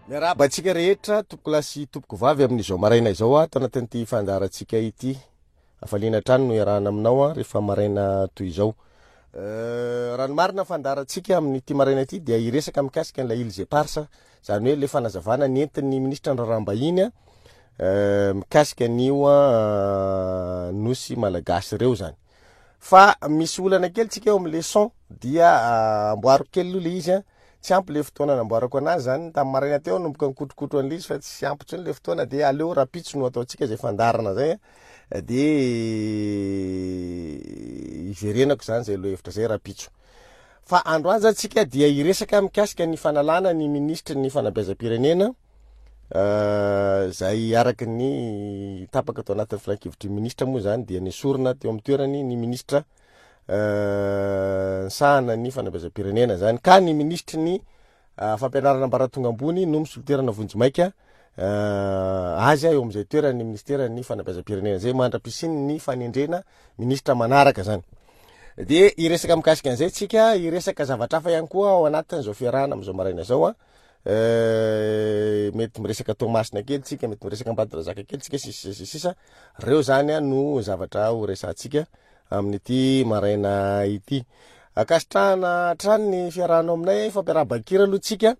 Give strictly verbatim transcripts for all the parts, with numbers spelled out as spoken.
Miarahaba antsika rehetra, tompoko lahy sy tompoko vavy, amin'izao maraina izao ato anatin'ity fandaharantsika ity. Hafaliana hatrany no iarahana aminao a rehefa maraina toy izao. Raha ny marina fandaharantsika amin'ity maraina ity dia hiresaka mikasika an'ilay Îles Éparses, izany hoe le fanazavana nentin'ny ministra ny raharaham-bahiny a mikasika an'io a nosy malagasy ireo zany. Fa misy olana kely tsika eo amin'le son, dia amboariko kely aloha le izy a. Tsy ampy le fotoana namboarako anazy zany tamin'ny maraina teo, nanomboka nikotrokotra an'le izy fa tsy ampy intsony le fotoana, dia aleo rahampitso no ataontsika zay fandaharana zay a, dia iverenako zany zay lohahevitra zay rahampitso. Fa androany zany tsika dia hiresaka mikasika ny fanalana ny ministry ny fanabeazam-pirenena zay araka ny tapaka tao anatin'ny filankevitry ny ministra moa zany, dia nesorina teo amin'ny toerany ny ministra nisahana ny fanabeazam-pirenena zany, ka ny ministry ny fampianarana ambaratonga ambony no misolo toerana vonjimaika azy eo amin'izay toeran'ny ministeran'ny fanabeazam-pirenena zay mandra-pisiany ny fanendrena ministra manaraka zany. Dia hiresaka mikasika an'izay tsika, hiresaka zavatra hafa ihany koa ao anatin'izao fiarahana amin'izao maraina izao a. Mety miresaka Toamasina kely tsika, mety miresaka Ambatondrazaka kely tsika, sisa sisa sisa. Reo zany a no zavatra ho resahantsika amin'ity maraina ity. Ankasitrahana hatrany ny fiarahanao aminay, fampiarahaba-kira aloha tsika,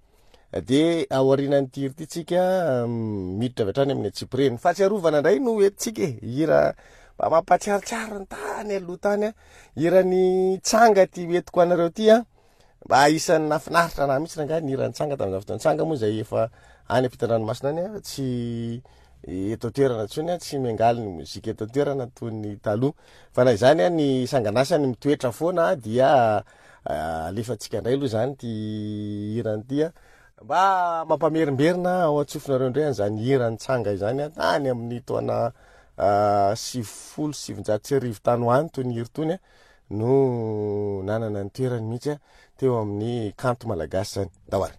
dia aorianan'ity hira ity tsika miditra avy hatrany amin'ny antsipiriany. Fahatsiarovana indray no entintsika e, hira mba mampahatsiarotsiaro ny tany aloha tany a. Hiran'ny Tsanga ty entiko anareo ty a, mba isan'ny nahafinaritra anahy mihitsy rangahy ny hiran'ny Tsanga tamin'izany fotoana. Tsanga moa izay efa any ampitan-dranomasina any a, tsy eto an-toerana intsony a, tsy miangaly ny mozika eto an-toerana toy ny taloha. Fa na izany a, ny sanganasany mitoetra foana dia alefantsika indray aloha zany ty hirany ty a, mba mampamerimberina ao an-tsofinareo indray an'izany hiran'ny Tsanga izany a, tany amin'ny taona sivifolo sy sivinjato sy arivo tany ho any toy ny hira tony a, no nanana ny toerany mihitsy a teo amin'ny kanto malagasy zany. Ndao ary.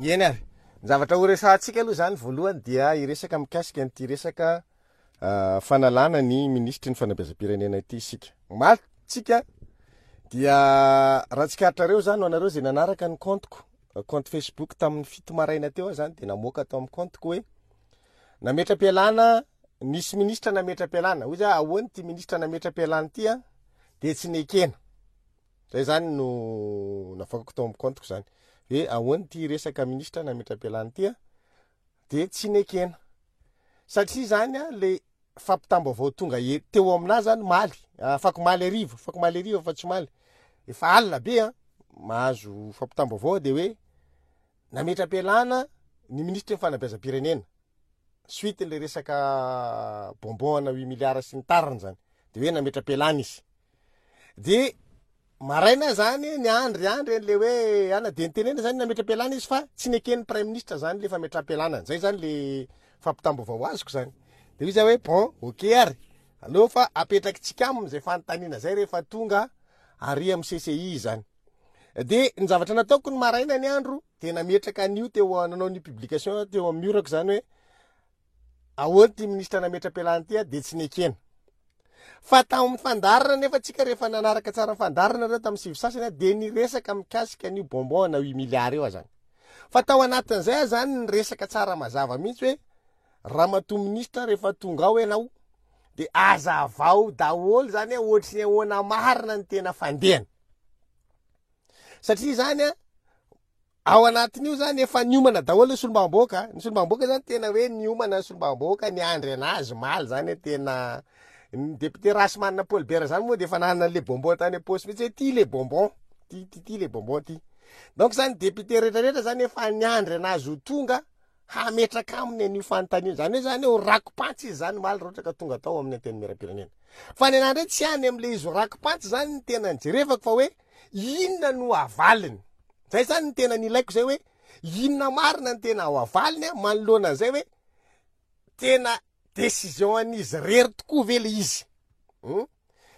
Eny ary, ny zavatra ho resahantsika aloha zany voalohany dia hiresaka mikasika an'ity resaka fanalana ny minisitry ny fanabeazam-pirenena ity isika. Omaly tsika dia raha tsikaritrareo zany ho anareo zay nanaraka ny compte-ko, compte Facebook tamin'ny fito maraina teo aho zany de namoaka tao amin'ny compte-ko hoe nametra-pialana, nisy ministra nametra-pialana. Hoy za ahoana ity ministra nametra-pialana ity a? De tsy nekena. Zay zany no navoakako tao amin'ny compte-ko zany hoe ahoana ity resaka ministra nametra-pialana ity a? De tsy nekena. Satria zany a le fampitam-baovao tonga e teo aminahy zany maly, afakomaly hariva, afakomaly hariva fa tsy omaly, efa alina be a, mahazo fampitam-baovao de hoe nametra-pialana ny minisitry ny fanabeazam-pirenena suite le resaka bonbon ana huit milliards sy ny tariny zany, de hoe nametra-pialana izy. De maraina zany niandry andry an'le hoe ana de nitenena zany nametra-pialana izy fa tsy neken'ny premier ministre zany le fametraham-pialana, zay zany le fampitam-baovao azoko zany. De hoy za hoe bon, ok ary, aleo fa apetrakitsika aminy zay fanontaniana zay rehefa tonga ary amy C C I zany. De ny zavatra nataoko ny maraina ny andro de nametraka an'io teo, nanao ny publication teo amy mur-ako zany hoe ahoana ty ministra nametra-pialana ty a, de tsy nekena. Fa tamin'ny fandaharana nefa tsika rehefa nanaraka tsara ny fandaharana reo tamin'ny sivy sasany a, de niresaka mikasika an'io bonbon ana huit milliards io a zany. Fa tao anatin'izay a zany niresaka tsara mazava mihitsy hoe ramatoa ministra, rehefa tonga ao ianao de azavao daholo zany hoe ohatry ny ahoana marina ny tena fandehany, satria zany a ao anatin'io zany efa niomana daholo ny solombavambahoaka. Ny solombavambahoaka zany tena hoe niomana ny solombavambahoaka niandry anazy maly zany, tena ny député Rahasimanana Paul Bert zany moa de efa nanana an'le bonbon tany am-paosy mihitsy hoe ty le bonbon ty, ty ty le bonbon ty. Donc zany député rehetrarehetra zany efa niandry anazy ho tonga hametraka aminy an'io fanontaniana zany hoe zany ho rako-pantsy izy zany maly raha ohatra ka tonga tao amin'ny antenimieram-pirenena. Fa ny anahy ndray tsy any am'le izy ho rako-pantsy zany ny tena nijerevako, fa hoe inona no avaliny zay zany ny tena nilaiko zay, hoe inona marina ny tena ho avaliny a manoloana an'izay, hoe tena décision an'izy rery tokoa ve le izy, um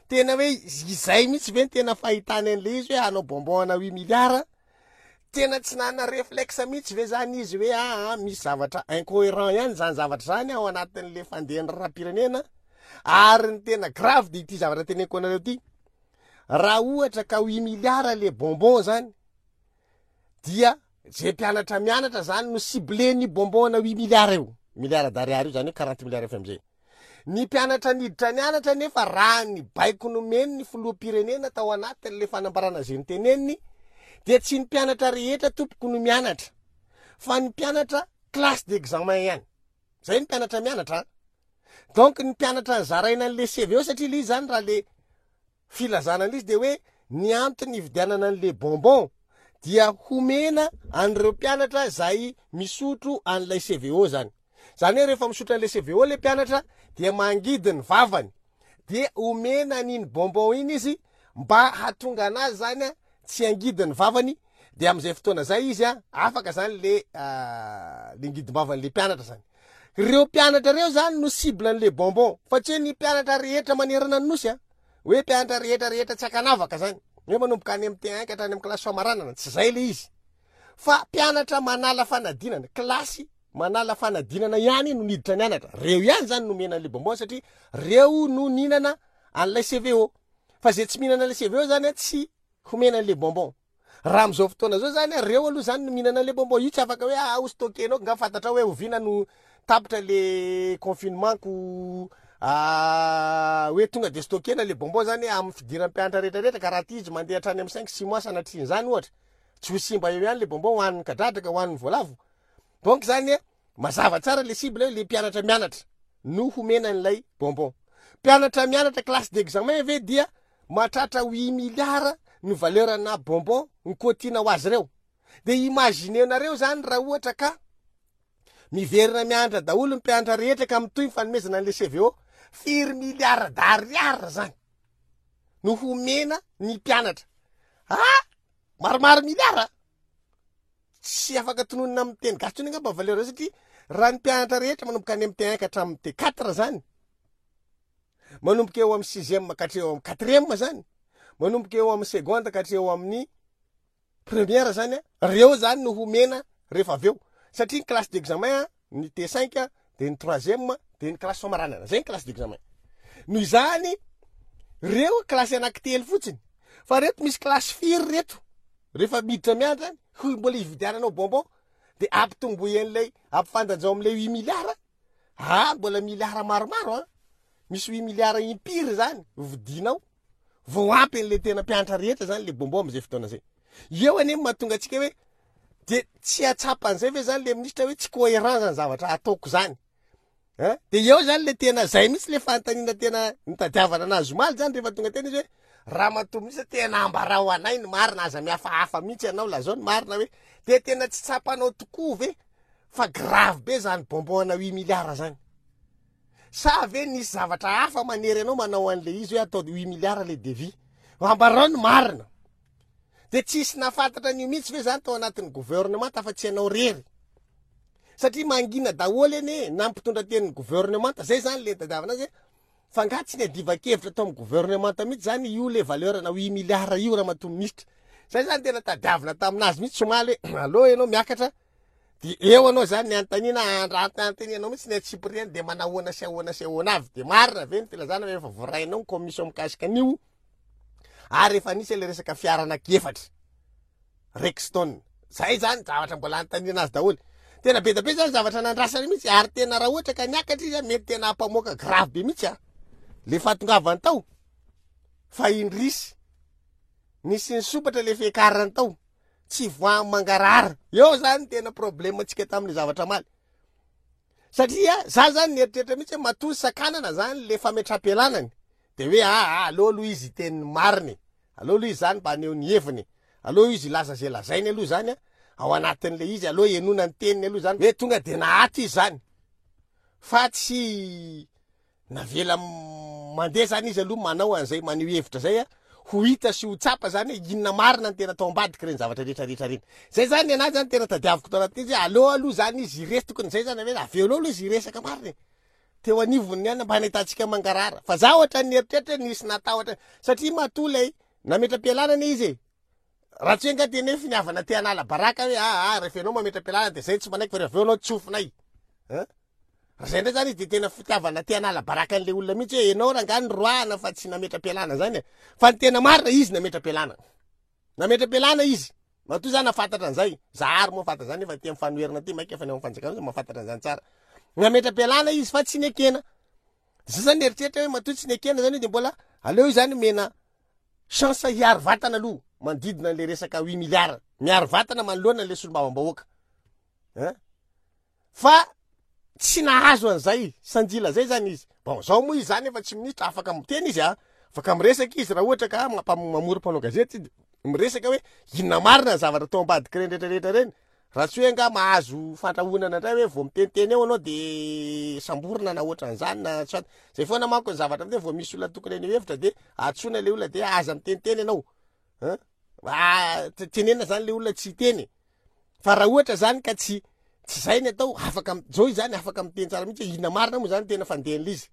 tena hoe izay mihitsy ve ny tena fahitany an'le izy hoe hanao bonbon ana huit milliards? Tena tsy nana réflexe mihitsy ve zany izy hoe aa misy zavatra incohérent ihany zany zavatra zany ao anatin'le fandehan'ny raharaham-pirenena? Ary ny tena grave de ity zavatra teneniko anareo ty: raha ohatra ka huit milliards le bonbon zany, dia zay mpianatra mianatra zany no ciblé-ny bonbon ana huit milliards io, milliard d'ariary io zany, hoe quarante milliards F M G. Ny mpianatra niditra nianatra nefa raha ny baiko nomeny ny filoham-pirenena tao anatin'le fanambarana zay nyteneniny, dia tsy ny mpianatra rehetra tompoko no mianatra, fa ny mpianatra classe d'examen ihany zay ny mpianatra mianatra. Donc ny mpianatra ny zaraina an'le C V O, satria le izy zany raha le filazana an'izy de hoe ny antony ividianana an'le bonbon dia homena an'ireo mpianatra zay misotro an'ilay C V O zany. Zany hoe rehefa misotro an'le C V O le mpianatra dia mangidy ny vavany, de omena an'iny bonbon iny izy mba hatonga anazy zany a tsy angidy ny vavany, de am'izay fotoana zay izy a afaka zany le le ngidim-bavan'le mpianatra zany. Reo mpianatra reo zany no cible an'le bonbon, fa tsy hoe ny mpianatra rehetra manerana ny nosy a, hoe mpianatra rehetra rehetra tsy akanavaka zany, hoe manomboka any amy T un ka hatrany amy klasy famaranana. Tsy zay le izy, fa mpianatra manala fanadinana, klasy manala fanadinana ihany no niditra nianatra, reo ihany zany nomena an'le bonbon, satria reo no nihinana an'ilay C V O. Fa zay tsy mihinana an'le C V O zany a tsy homena an'le bonbon. Raha am'izao fotoana zao zany a, reo aloha zany no mihinana an'le bonbon io. Tsy afaka hoe ah ho stockenao nga fantatra hoe oviana no tapitra le confinement ko hoe tonga de stockena le bonbon zany amy fidiran'ny mpianatra rehetrarehetra. Ka raha ty izy mandeha hatrany amy cinq six mois sanatriany zany ohatra, tsy ho simba eo ihany le bonbon hoan'ny kadradraka, hoan'ny voalavo. Donc zany a mazava tsara le cible hoe le mpianatra mianatra no homena an'ilay bonbon. Mpianatra mianatra classe d'examen ve dia mahatratra huit milliards ny valeur na bonbon ny kotiana ho azy reo? De imaginenareo zany raha ohatra ka miverina mianatra daholo ny mpianatra rehetra ka mitohy ny fanomezana an'le C V O, firy milliard d'ariary zany no homena ny mpianatra? Ah, maromaro milliard, tsy afaka tononina amin'ny teny gasy tsony angamba valeur zay, satria raha ny mpianatra rehetra manomboka any amy T un ka hatramin'ny T quatre zany, manomboka eo amy sixième ka hatreo amy quatrième zany, manomboka eo amy seconde ka hatreo amin'ny première zany a, reo zany no homena rehefa avy eo, satria ny classe d'examen, ny T cinq, de ny troisième, de ny classe famaranana, zay ny classe d'examen. Noho izany reo classe anankitelo fotsiny, fa reto misy classe firy reto rehefa miditra miandra zany ho mbola hividiananao bonbon, de ampitomboy an'ilay, ampifandanjao am'le huit milliards. Ah, mbola milliard maromaro a, misy huit milliards impiry zany vidinao vao ampy an'le tena mpianatra rehetra zany le bonbon am'izay fotoana zay. Eo anie mahatonga atsika hoe de tsy atsapan'izay ve zany le ministra hoe tsy cohérent zany zavatra ataoko zany an? De eo zany le tena zay mihitsy le fanontaniana tena nitadiavana anazy omaly zany, rehefa tonga tena izy hoe: raha matoa mihitsy tena ambarao anay ny marina, aza mihafahafa mihitsy ianao, lazao ny marina hoe de tena tsy tsapanao tokoa ve fa grave be zany bonbon ana huit milliards zany, sa ve nisy zavatra hafa manery anao manao an'le izy hoe atao huit milliards le devis? Ambarao ny marina. De tsisy nafantatra an'io mihitsy ve zany tao anatin'ny gouvernement fa tsy anao rery? Satria mangina daholo eny na mpitondra tenin'ny gouvernement zay zany le nitadiavana azy, fa nga tsy niadivan-kevitra tao amin'ny gouvernement mihitsy zany io le valeur na huit milliards io, raha matoa ministra? Zay zany tena tadiavina taminazy mihitsy somaly hoe aloha ianao miakatra, de eo anao zany ny antanina andrantanteny anao mihitsy ny atsipiriany, de manahoana sy ahoana sy ahoana avy, de marina ve ny filazana hoe efa voarainao ny commission mikasika an'io, ary efa nisy le resaka fiara anaky efatra Rexton zay? Zany zavatra mbola antanina azy daholo. Tena be da be zany zavatra nandrasany mihitsy, ary tena raha ohatra ka niakatra izy a, mety tena ampamoaka grave be mihitsy a le fahatongavany tao. Fa indrisy, nisy nisopatra le fiakarany tao, tsy voa mangarahara eo zany tena problème atsika tamin'le zavatra maly, satria za zany nieritreritra mihitsy hoe matoa sakanana zany le fametra-pialanany, de hoe aa aloha aloha izy teniny mariny, aloha aloha izy zany mba aneo ny heviny, aloha izy ilaza zay lazainy aloha zany a ao anatin'le izy, aloha enona ny teniny aloha zany hoe tonga de nahato izy zany, fa tsy navela mandeha zany izy aloha manao an'izay maneho hevitra zay a, ho hita sy ho tsapa zany hoe inona marina ny tena tao ambadiky reny zavatra rehetrarehetra reny. Zay zany ny anazy zany tena tadiaviko tao anatin'izy hoe aloha aloha zany izy iresy, tokony zay zany hoe aveo aloha aloha izy iresaka marina e teo anivony any mba nahitantsika mangarahara. Fa za ohatra ny eritreritra hoe nisy natahotra, satria matoa lay nametra-pialana anie izy e, raha tsy hoe nga tena hoe finiavana te hanala baraka hoe aa rehefa ianao mametra-pialana de zay tsy manaiky, fa rehefa aveo anao tsofinay an. Raha zay ndray zany izy de tena fitiavana te hanala baraka an'le olona mihitsy hoe ianao raha nga nyroahana fa tsy nametra-pialana zany e. Fa ny tena marina, izy nametra-pialana, nametra-pialana izy. Matoa zany nafantatra an'izay za, ary moa fantatra zany efa ty amin'ny fanoherana ty, maika efa ny ao amin'ny fanjakana mahafantatra an'izany tsara, nametra-pialana izy fa tsy nekena. Zay zany eritreritra hoe matoa tsy nekena zany io, de mbola aleo io zany mena chance hiaro vatana aloha manodidina an'le resaka huit milliards, miaro vatana manoloana an'le solombavambahoaka an, fa tsy nahazo an'izay sanjila zay zany izy. Bon, zao moa izy zany efa tsy ministra, afaka miteny izy a, afaka miresaka izy raha ohatra ka mampa- mamory mpanao gazety izy, miresaka hoe inona marina ny zavatra tao ambadiky reny rehetrarehetra reny, raha tsy hoe nga mahazo fandrahonana indray hoe vao miteniteny eo anao de samborina na ohatran'izany na tsy zay foana manko ny zavatra am'zay. Vao misy olona tokony haneho hevitra de atsona le olona, de aza miteniteny ianao an, ah, tenenina zany le olona tsy hiteny. Fa raha ohatra zany ka tsy tsy zay ny atao, afaka zao izy zany afaka miteny tsara mihitsy hoe inona marina moa zany tena fandehan'le izy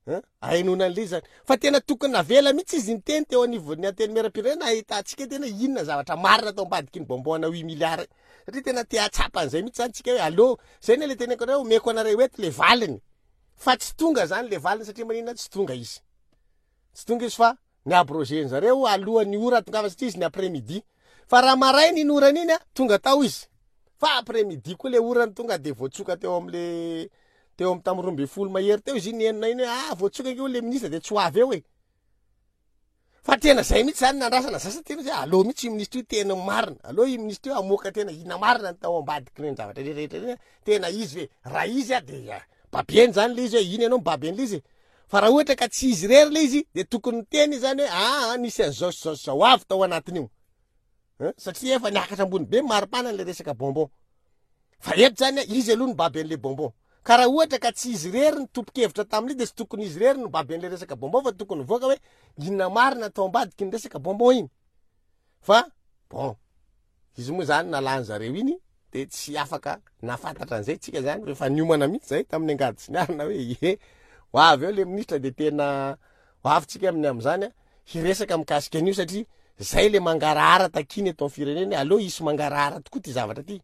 an, ahenona an'le izy zany. Fa tena tokony navela mihitsy izy niteny teo anivon'ny antenimieram-pirenena, ahitantsika tena inona zavatra marina tao ambadiky ny bonbon ana huit milliards, satria tena te hatsapa an'izay mihitsy zany tsika hoe allo zay ny le teneko anareo, omeko anareo eto le valiny, fa tsy tonga zany le valiny. Satria maninona tsy tonga izy? Tsy tonga izy fa ny abrogé zareo alohan'ny ora tongava, satria izy ny après midi, fa raha maraina iny orana iny a tonga tao izy, fa après midi koa le orany tonga, de voatsoka teo am'le teo amy tamy roa amby folo mahery teo izy iny enina iny hoe ah, voatsoka io le ministre, de tsy ho avy eo e. Fa tena zay mihitsy zany nandrasana zasa, tena zay aloha mihitsy io ministre io tena marina, aloha io ministre io amoaka tena ina marina ny tao ambadiky reny zavatra rehetrarehetra reny. Tena izy ve? Raha izy a, de babieny zany le izy hoe iny ianao mibaby an'le izy, fa raha ohatra ka tsy izy rery le izy, de tokony niteny zany hoe aa nisy an'izao sy zao sy zao avy tao anatin'io, satria efa niakatra ambony be maripana le resaka bonbon. Fa eto zany izy aloha nibaby an'le bonbon, ka raha ohatra ka tsy izy rery ny tompo-kevitra tamin'io, de tsy tokony izy rery no baby an'le resaka bonbon, fa tokony voaka hoe inona marina atao ambadiky ny resaka bonbon iny. Fa bon, izy moa zany nalany zareo iny, de tsy afaka nafantatra an'izay tsika zany. Efa niomana mihitsy zay tamin'ny angady sy ny arina hoe ie, ho avy eo le ministra, de tena ho avy tsika amin'ny am'izany a hiresaka mikasika an'io, satria zay le mangarahara takiny eto amin'ny firenena. Aloha isy mangarahara tokoa ty zavatra ty.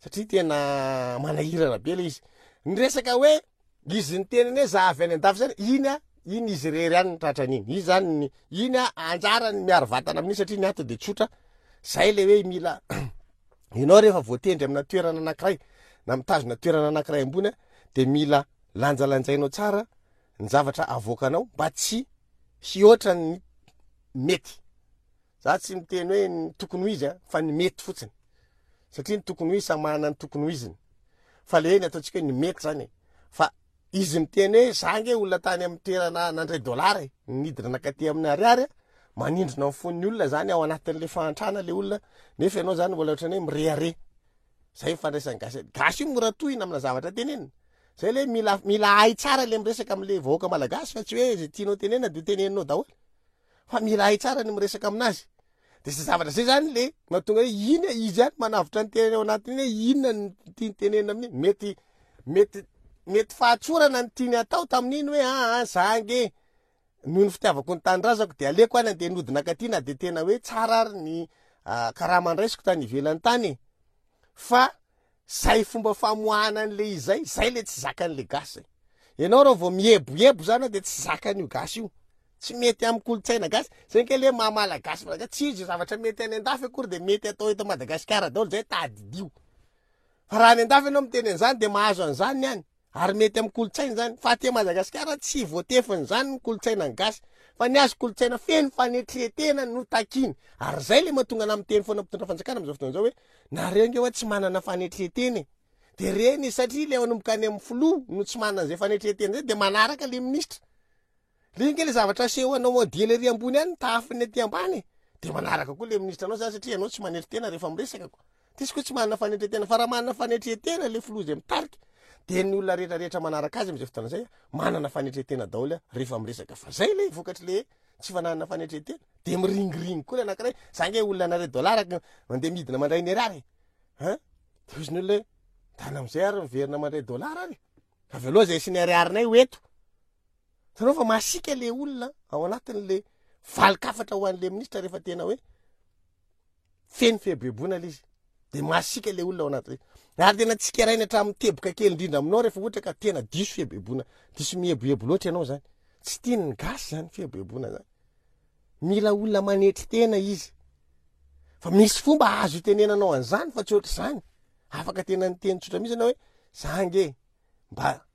satria tena manahirana be le izy. Ny resaka hoe izy niteniny hoe za avy any an-dafy zany, iny a, iny izy irery ihany ny tratran'iny. Izy zany ny iny a, anjarany miaro vatana amin'iny satria ny ato de tsotra. Zay le hoe mila ianao rehefa voatendry amina toerana anankiray na mitazona toerana anankiray ambony a, de mila lanjalanjainao tsara ny zavatra avoakanao mba tsy hihoatra ny mety. Za tsy miteny hoe ny tokony ho izy a, fa ny mety fotsiny, satria ny tokony ho izy samy manana ny tokony ho iziny, fa le ny ataontsika hoe ny mety zany e. Fa izy miteny hoe za nge olona tany amin'ny toerana nandray dollara e, nidina nakaty amin'ny ariary a, manindrona ny fon'ny olona zany ao anatin'le fahantrana le olona, nefa ianao zany mbola ohatrany hoe mirehareha. Zay mifandraisan'ny gasy. Gasy io mora tohina amina zavatra tenenina. Zay le mila, mila hay tsara le miresaka am'le vahoaka malagasy, fa tsy hoe zay tianao tenenina de teneninao daholo, fa mila hay tsara ny miresaka aminazy. De zay zavatra zay zany le mahatonga hoe iny izy ihany manavotra ny tenany ao anatiny hoe inona ny tiany tenenina amin'iny. Mety, mety, mety fahatsorana ny tiany atao tamin'iny hoe aa za nge noho ny fitiavako ny tanindrazako de aleoko any andeha nodina akaty, na de tena hoe tsara ary ny karama andraisiko tany ivelany tany e. Fa zay fomba famoahana an'le izy zay, zay le tsy zakan'le gasy zay. Ianao raha vao mieboebo zany de tsy zakan'io gasy io. Tsy mety amin'ny kolontsaina gasy. Zay nke le maha malagasy malagasy, tsy izy zavatra mety any an-dafy akory de mety atao eto Madagasikara daholo, zay tadidio. Fa raha any an-dafy ianao miteny an'izany de mahazo an'izany ny any, ary mety amin'ny kolontsaina zany. Fa aty Madagasikara tsy voatefin'izany ny kolontsaina ny gasy, fa ny azy kolontsaina feno fanetren-tena no takiny. Ary zay le mahatonga ana miteny foana mpitondra fanjakana amin'izao fotoana izao hoe nareo nge hoe tsy manana fanetren-tena e. De reny satria le manomboka any amin'ny filoha no tsy manana an'izay fanetren-tena zay, de manaraka le ministra. Le nge le zavatra aseho anao modely ery ambony any tahafiny aty ambany e. De manaraka koa le ministra anao zany satria ianao tsy manetry tena rehefa miresaka ko. Tsisy koa tsy manana fanetren-tena, fa raha manana fanetren-tena le filoha zay mitarika, de ny olona rehetrarehetra manaraka azy amin'izay fotoana zay manana fanetren-tena daholo rehefa miresaka. Fa zay le vokatry le tsy fananana fanetren-tena, de miringiringy koa le anankiray. Za nge olona nare dollara mandeha midina mandray ny ariary e. Hein? De hozy ny olona hoe tany am'izay ary miverina mandray dollara ary. Avy aloha zay sy ny ariarinay ho eto. Hitanao fa masiaka le olona ao anatin'le valin-kafatra ho an'le ministra rehefa tena hoe feno fieboeboana le izy. De masiaka le olona ao anatin'le. Ary tena tsikeraina hatramin'ny teboka kely indrindra aminao rehefa ohatra ka tena diso fieboeboana, diso mieboebo loatra ianao zany. Tsy tian'ny gasy zany fieboeboana zany. Mila olona manetry tena izy. Fa misy fomba azo itenenanao an'izany fa tsy ohatr'izany. Afaka tena niteny tsotra mihitsy ianao hoe za nge mba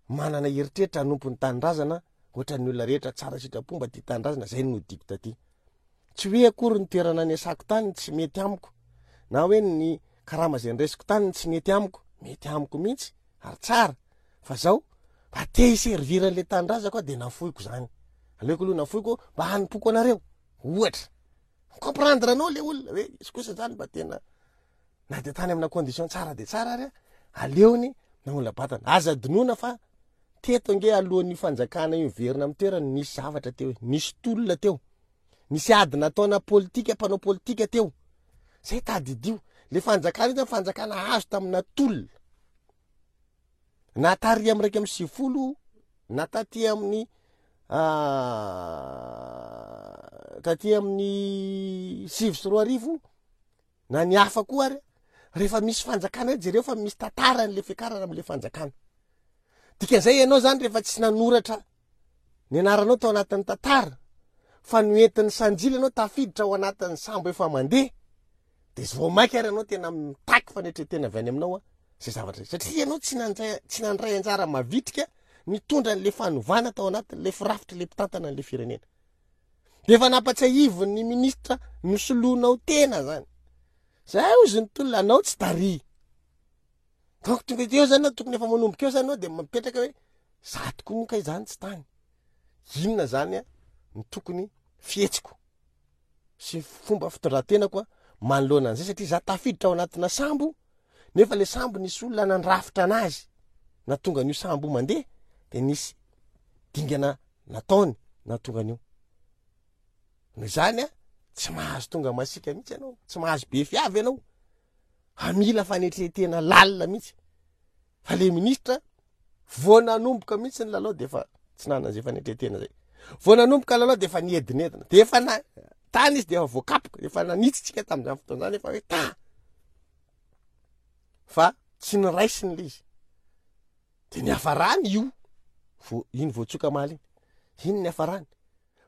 manana eritreritra hanompo ny tanindrazana ohatran'ny olona rehetra tsara sitrapo mba tia tanindrazana, zay no nodiko taty. Tsy hoe akory ny toerana niasako tany tsy mety amiko, na hoe ny karama zay ndraisiko tany tsy mety amiko, mety amiko mihitsy ary tsara. Fa zao mba te hiservir an'le tanindrazako aho de nafoiko zany. Aleoko aloha nafoiko mba hanompoko anareo. Ohatra, comprendre anao le olona hoe izy kosa zany mba tena na de tany amina condition tsara de tsara ary aleony namola batana. Aza adinoana fa teto nge alohan'ny fanjakana io miverina amin'ny toerany nisy zavatra teo, nisy tolona teo, nisy ady nataona politika, mpanao politika teo. Zay tadidio, le fanjakana io zany fanjakana azo tamina tolona. Na tary amin'ny iraika amby sivifolo, na taty amin'ny, taty amin'ny sivy sy roa arivo, na ny hafa koa ary, rehefa misy fanjakana io jereo fa misy tantaran'le fiakarana amin'le fanjakana. Dikan'izay ianao zany rehefa tsy nanoratra ny anaranao tao anatin'ny tantara, fa noentin'ny sanjily ianao tafiditra ao anatin'ny sambo efa mandeha, de vao mainka ary ianao tena mitaky fanetren-tena avy any aminao a, zay zavatra zay. Satria ianao tsy nandray, tsy nandray anjara mavitrika nitondra an'le fanovana tao anatin'le firafitra le mpitantana an'le firenena. De efa nampatsiahivon'ny ministra nosoloinao tena zany. Zay ozy ny tolona anao tsy tary. Donc tonga eo zany tokony efa manomboka eo zany anao de mipetraka hoe za tokoa moa kay zany tsy tany. Inona zany a ny tokony fihetsiko sy fomba fitondran-tenako a manoloana an'izay, satria za tafiditra ao anatina sambo nefa le sambo nisy olona nandrafitra anazy, na tonga an'io sambo mandeha de nisy dingana nataony na tonga an'io. Noho izany a tsy mahazo tonga masiaka mihitsy ianao, tsy mahazo be fiavy ianao, hamila fanetren-tena lalina mihitsy. Fa le ministra vao nanomboka mihitsy ny lalao de efa tsy nanana izay fanetren-tena zay. Vao nanomboka lalao de efa niedinedina, de efa na tany izy de efa voakapoka, efa nanitsy tsika tamin'izany fotoana izany, efa hoe ta. Fa tsy niraisiny le izy. De niafarany io, vo iny voatsoka omaly iny, iny niafarany.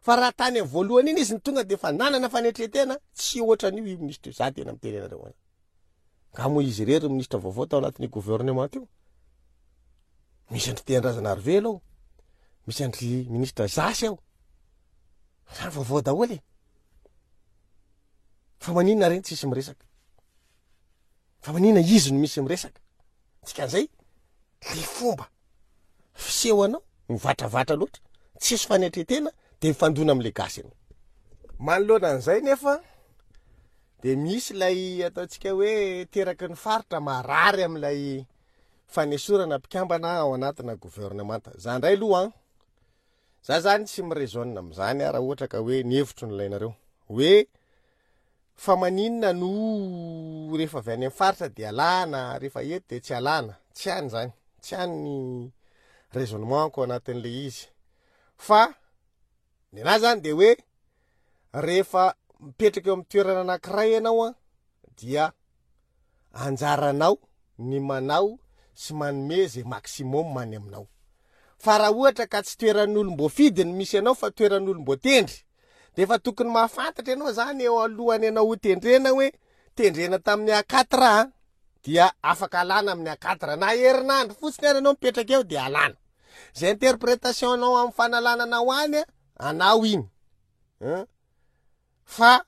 Fa raha tany amin'ny voalohany iny izy ny tonga de efa nanana fanetren-tena, tsy ohatran'io io ministra io, za tena miteny anareo any. Nga moa izy irery ministra vaovao tao anatin'ny gouvernement io? Misy andry Tehindrazana Arivelo ao, misy andry ministra Zasy ao. Zany vaovao daholo e. Fa maninona reny tsisy miresaka? Fa maninona izy no misy miresaka? Dikan'izay, le fomba fiseho anao mivatravatra loatra, tsisy fanetren-tena, de mifandona am'le gasy ianao. Manoloana an'izay nefa de misy ilay ataontsika hoe teraky ny faritra marary amin'ilay fanesorana mpikambana ao anatina gouvernemanta. Za ndray aloha an, za zany tsy mi-raisonne amin'izany raha ohatra ka hoe ny hevitro no ilainareo. Hoe fa maninona no rehefa avy any amin'ny faritra de alana, rehefa eto de tsy alana. Tsy any zany, tsy any ny raisonnement-ko anatin'le izy. Fa ny anahy zany de hoe rehefa mipetraka eo amin'ny toerana anankiray ianao an, dia anjaranao ny manao sy manome zay maximum any aminao. Fa raha ohatra ka tsy toeran'olom-boafidy no misy anao fa toeran'olom-boatendry, de efa tokony mahafantatra ianao zany eo alohany ianao ho tendrena hoe tendrena tamin'ny A quatre a, dia afaka alana amin'ny A quatre na herinandro fotsiny ary ianao mipetraka eo de alana. Zay interprétation anao amin'ny fanalana anao any a, anao iny. Hein? Fa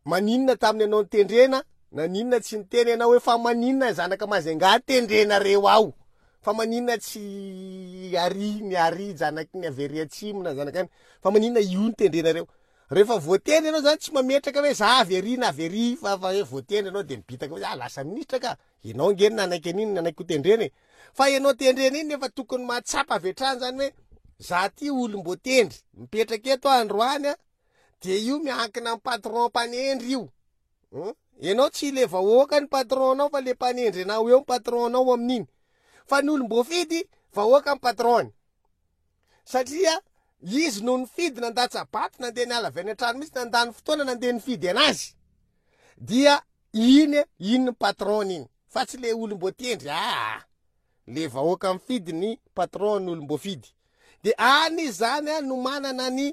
maninona tamin'ny anao nitendrena, naninona tsy niteny ianao hoe fa maninona zanaka Majunga tendrenareo ao? Fa maninona tsy ary ny ary zanaky ny avy ary atsimo na zanaka any? Fa maninona io no tendrenareo? Rehefa voatendry ianao zany tsy mametraka hoe za avy ary na avy ary fa fa hoe voatendry ianao de mibitaka hoe ah lasa ministra ka. Ianao nge no nanaiky an'iny, nanaiky ho tendrena e. Fa ianao tendrena iny nefa tokony mahatsapa avy hatrany zany hoe za ty olom-boatendry, mipetraka eto aho androany a, de io miankina amin'ny patron mpanendry io. Hmm? Ianao tsy le vahoaka ny patron-nao fa le mpanendry anao eo ny patron-nao amin'iny. Fa ny olom-boafidy vahoaka ny patron-ny. Satria izy no nifidy nandatsa-bato, nandeha niala avy any an-trano mihitsy, nandany fotoana nandeha nifidy anazy. Dia iny iny ny patron-ny iny. Fa tsy le olom-boatendry, ah, le vahoaka mifidy ny patron ny olom-boafidy. De any izy zany a no manana ny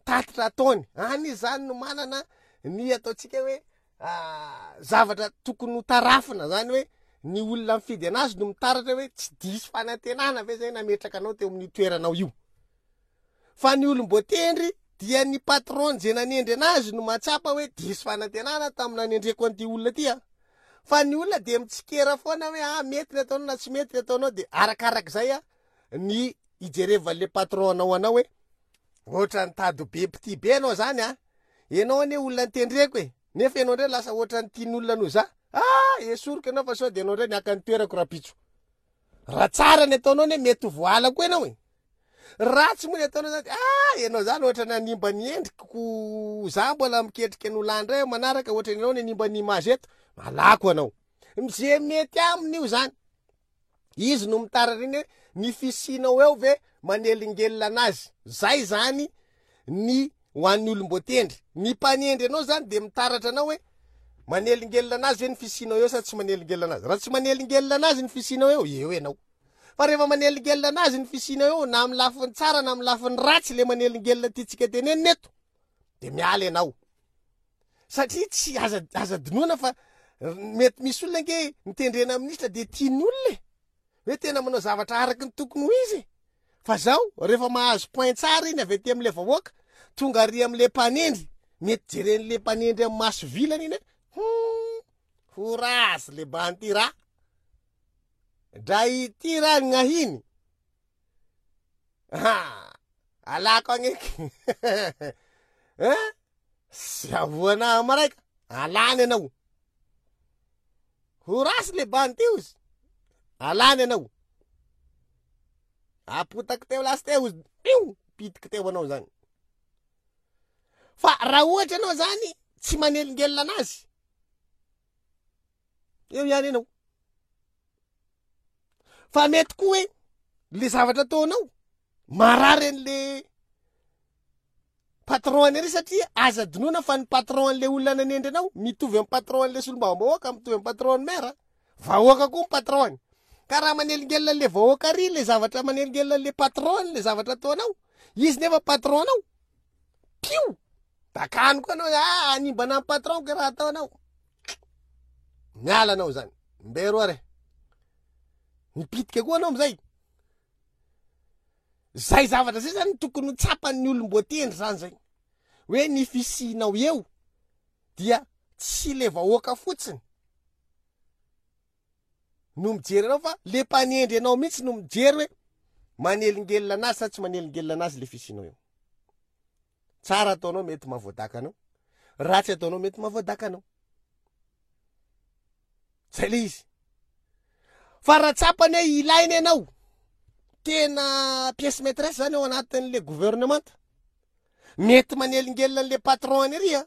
tatitra ataony, any izy zany no manana ny ataontsika hoe zavatra tokony ho tarafina zany hoe ny olona mifidy anazy no mitaratra hoe tsy diso fanantenana ve zay nametraka anao teo amin'ny toeranao io. Fa ny olom-boatendry dia ny patron zay nanendry anazy no mahatsapa hoe diso fanantenana tamin'ny nanendreko an'ity olona ty a. Fa ny olona de mitsikera foana hoe ah mety ny ataonao na tsy mety ny ataonao, de arakarak'izay a ny ijerevan'le patron anao anao hoe ohatra nitady be mpitia be anao zany a, ianao anie olona nitendreko e, nefa ianao ndray lasa ohatra ny tian'olona noho za, ah esoriko ianao fa sao de ianao ndray niaka ny toerako rapitso. Raha tsara ny ataonao anie mety ho voala koa ianao e. Ratsy moa ny ataonao zany, ah ianao zany ohatra nanimba ny endriko, za mbola miketrika ny olona indray manaraka ohatra ianao nanimba ny image eto, alako anao. Zay mety aminy io zany. Izy no mitaratra iny hoe ny fisianao eo ve manelingelina anazy. Zay zany ny ho an'ny olom-boatendry. Ny mpanendry anao zany de mitaratra anao hoe manelingelina anazy ve ny fisianao eo sa tsy manelingelina anazy. Raha tsy manelingelina anazy ny fisianao eo, eo ianao. Fa rehefa manelingelina anazy ny fisianao eo, na amin'ny lafiny tsara na amin'ny lafiny ratsy le manelingelina tiantsika tenenina eto, de miala ianao. Satria tsy aza, aza adinoana fa mety misy olona ange mitendrena ministra de tian'ny olona e. Hoe tena manao zavatra araky ny tokony ho izy. Fa zao, rehefa mahazo point tsara iny avy aty amin'le vahoaka, tonga ary amin'le mpanendry, mety jeren'le mpanendry amin'ny maso vilana iny hoe, hmm, ho rasy le banty raha. Dra ity raha gnahiny. Ha, alako agneky. Hein? Sy avoana maraika, alany ianao. Ho rasy le banty io izy. Alany ianao. Apotako teo lasy teo izy. Io, pitiky teo anao zany. Fa raha ohatra ianao zany tsy manelingelina anazy, eo ihany ianao. Fa mety koa hoe le zavatra ataonao marary an'le patron any ary, satria aza adinoana fa ny patron an'le olona nanendry anao mitovy amin'ny patron an'le solombavambahoaka, mitovy amin'ny patron an'ny maire. Vahoaka koa ny patron-ny. Ka raha manelingelina an'le vahoaka ary le zavatra manelingelina an'le patron-ny le zavatra ataonao, izy nefa patron-nao. Pio! Dakany koa anao, ah, hanimbana ny patron-ko raha ataonao. Miala anao zany. Mbero are. Mipitika koa anao amizay. Zay zavatra zay zany tokony ho tsapan'ny olom-boatendry zany zay. Hoe ny fisianao eo dia tsy le vahoaka fotsiny no mijery anao fa le mpanendry anao mihitsy no mijery hoe manelingelina anazy sa tsy manelingelina anazy le fisianao eo. Tsara ataonao mety mahavoadaka anao, ratsy ataonao mety mahavoadaka anao. Zay le izy. Fa raha tsapany hoe ilaina ianao, tena pièce maîtresse zany ao anatin'le gouvernement, mety manelingelina an'le patron any ary a,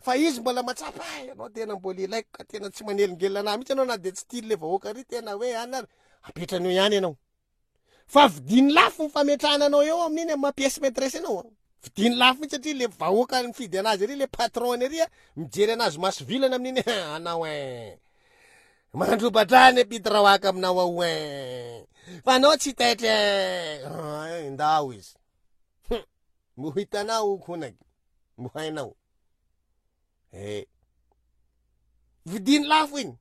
fa izy mbola matsapa, ah, ianao tena mbola ilaiko ka tena tsy manelingelina anahy mihitsy ianao na de tsy tia le vahoaka ary tena hoe any ary apetrany eo ihany ianao. Fa vidiny lafo ny fametrahana anao eo amin'iny amin'ny maha pièce maîtresse anao. Vidiny lafo mihitsy satria le vahoaka mifidy anazy ary le patron any ary mijery anazy maso vilana amin'iny anao e. Mandrobadrany ampidiraoaka aminao ao e. Fa anao tsy taitra e. Ndao izy. Mbo hitanao konaky. Mbo hainao. Eh. Vidiny lafo iny.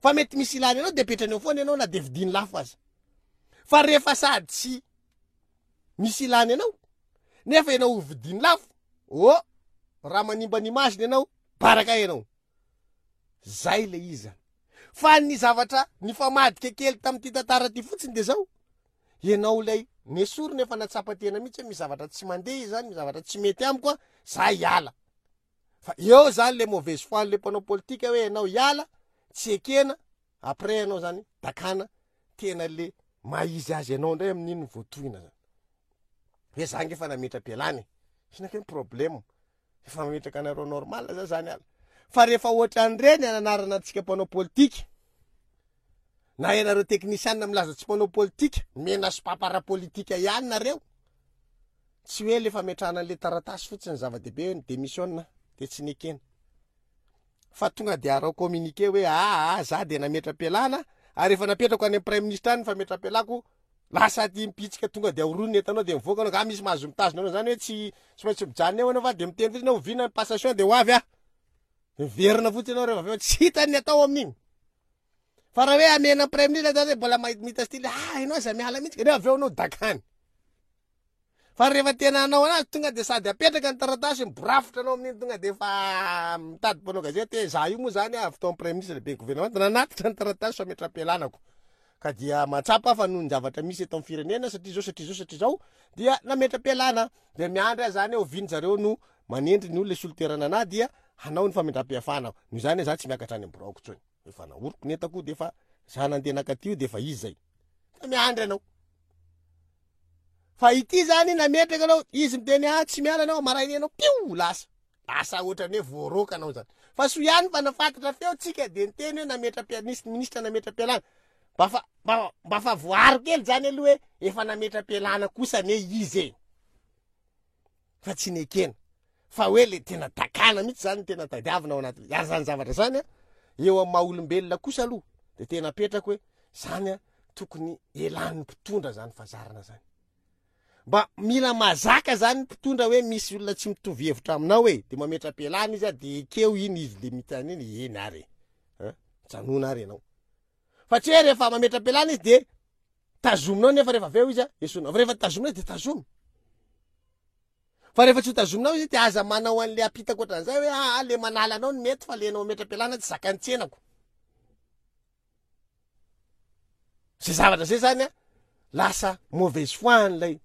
Fa mety misy ilany anao de apetrany eo foana ianao na de vidiny lafo aza. Fa rehefa sady tsy misy ilany anao nefa ianao ho vidiny lafo, oh, raha manimba ny image ianao, baraka ianao. Zay le izy zany. Fa ny zavatra nifamadika kely tamin'ity tantara ty fotsiny de zao, ianao lay nesory nefa natsapa tena mihitsy hoe misy zavatra tsy mandeha zany, misy zavatra tsy mety amiko a, za hiala. Fa eo zany le mauvaise foi le mpanao politika hoe ianao hiala, tsy ekena, après ianao zany dakana tena le maha izy azy ianao indray amin'iny voatohina zany. Hoe za nge efa nametra-pialana e. Inona ke ny problème? Efa mametraka anareo normal za zany ala. Fa rehefa ohatran'ireny ananarana antsika mpanao politika, na ianareo teknisianina milaza tsy mpanao politika, mena sopapa ara-politika ihany nareo. Tsy hoe le fametrahana an'le taratasy fotsiny zava-dehibe hoe ny démission de tsy nekena. Fa tonga de arao communiqué hoe ah, ah, za de nametra-pialana ary efa napetrako any amin'ny premier ministre any ny fametra-pialako, lasa aty mipitsika tonga de aorony ny entanao de mivoaka anao, ka misy mahazo mitazona anao zany hoe tsy tsy maintsy mijanona eo anao fa de miteny fotsiny hoe oviana ny passation de ho avy ah. Miverina fotsiny anao rehefa avy eo tsy hitany ny atao amin'iny. Fa raha hoe amena premier ministre zany mbola mahita style, ah ianao aza miala mihitsy, rehefa avy eo anao dakany. Fa rehefa tena hanao anazy tonga de sady apetraka ny taratasy miborafitra anao amin'iny tonga de efa mitady mpanao gazety hoe za io moa zany avy tao amin'ny premier ministre lehibe gouvernement nanatitra ny taratasy fametraham-pialanako. Ka dia mahatsapa fa noho ny zavatra misy eto amin'ny firenena satria zao satria zao satria zao dia nametra-pialana. De miandry aho zany hoe oviana zareo no manendry ny olona hisolo toerana anahy dia hanao ny famindram-piafana. Noho izany za tsy miakatra any amin'ny biraoko intsony. Efa nahoriko ny entako de efa za nandeha nakaty io de efa izy zay. Fa miandry anao. Fa ity zany nametraka anao, izy miteny ah tsy miala anao, maraina anao pio lasa. Lasa ohatrany hoe voaroaka anao zany. Fa soa ihany fa nafantatra feo tsika de niteny hoe nametra-pialana, nisy ministra nametra-pialana. Mba fa, mba, mba fa voaro kely zany aloha hoe efa nametra-pialana kosa anie izy e. Fa tsy nekena. Fa hoe le tena dakana mihitsy zany tena tadiavina ao anaty. Ary zany zavatra zany a, eo amin'ny maha olombelona kosa aloha de tena apetrako hoe zany a tokony elan'ny mpitondra zany fazarana zany. Mba mila mazaka zany mpitondra hoe misy olona tsy mitovy hevitra aminao e, de mametra-pialana izy a, de ekeo iny izy le mitany iny, eny ary e. Hein? Janona ary ianao. Fa tsy hoe rehefa mametra-pialana izy de tazominao nefa rehefa avy eo izy a, esorinao. Fa rehefa tazominao izy de tazomy. Fa rehefa tsy ho tazominao izy de aza manao an'le apitako ohatran'izay hoe ah, le manala anao no mety fa le anao mametra-pialana tsy zakan'ny tsenako. Zay zavatra zay zany a, lasa mauvaise foi an'ilay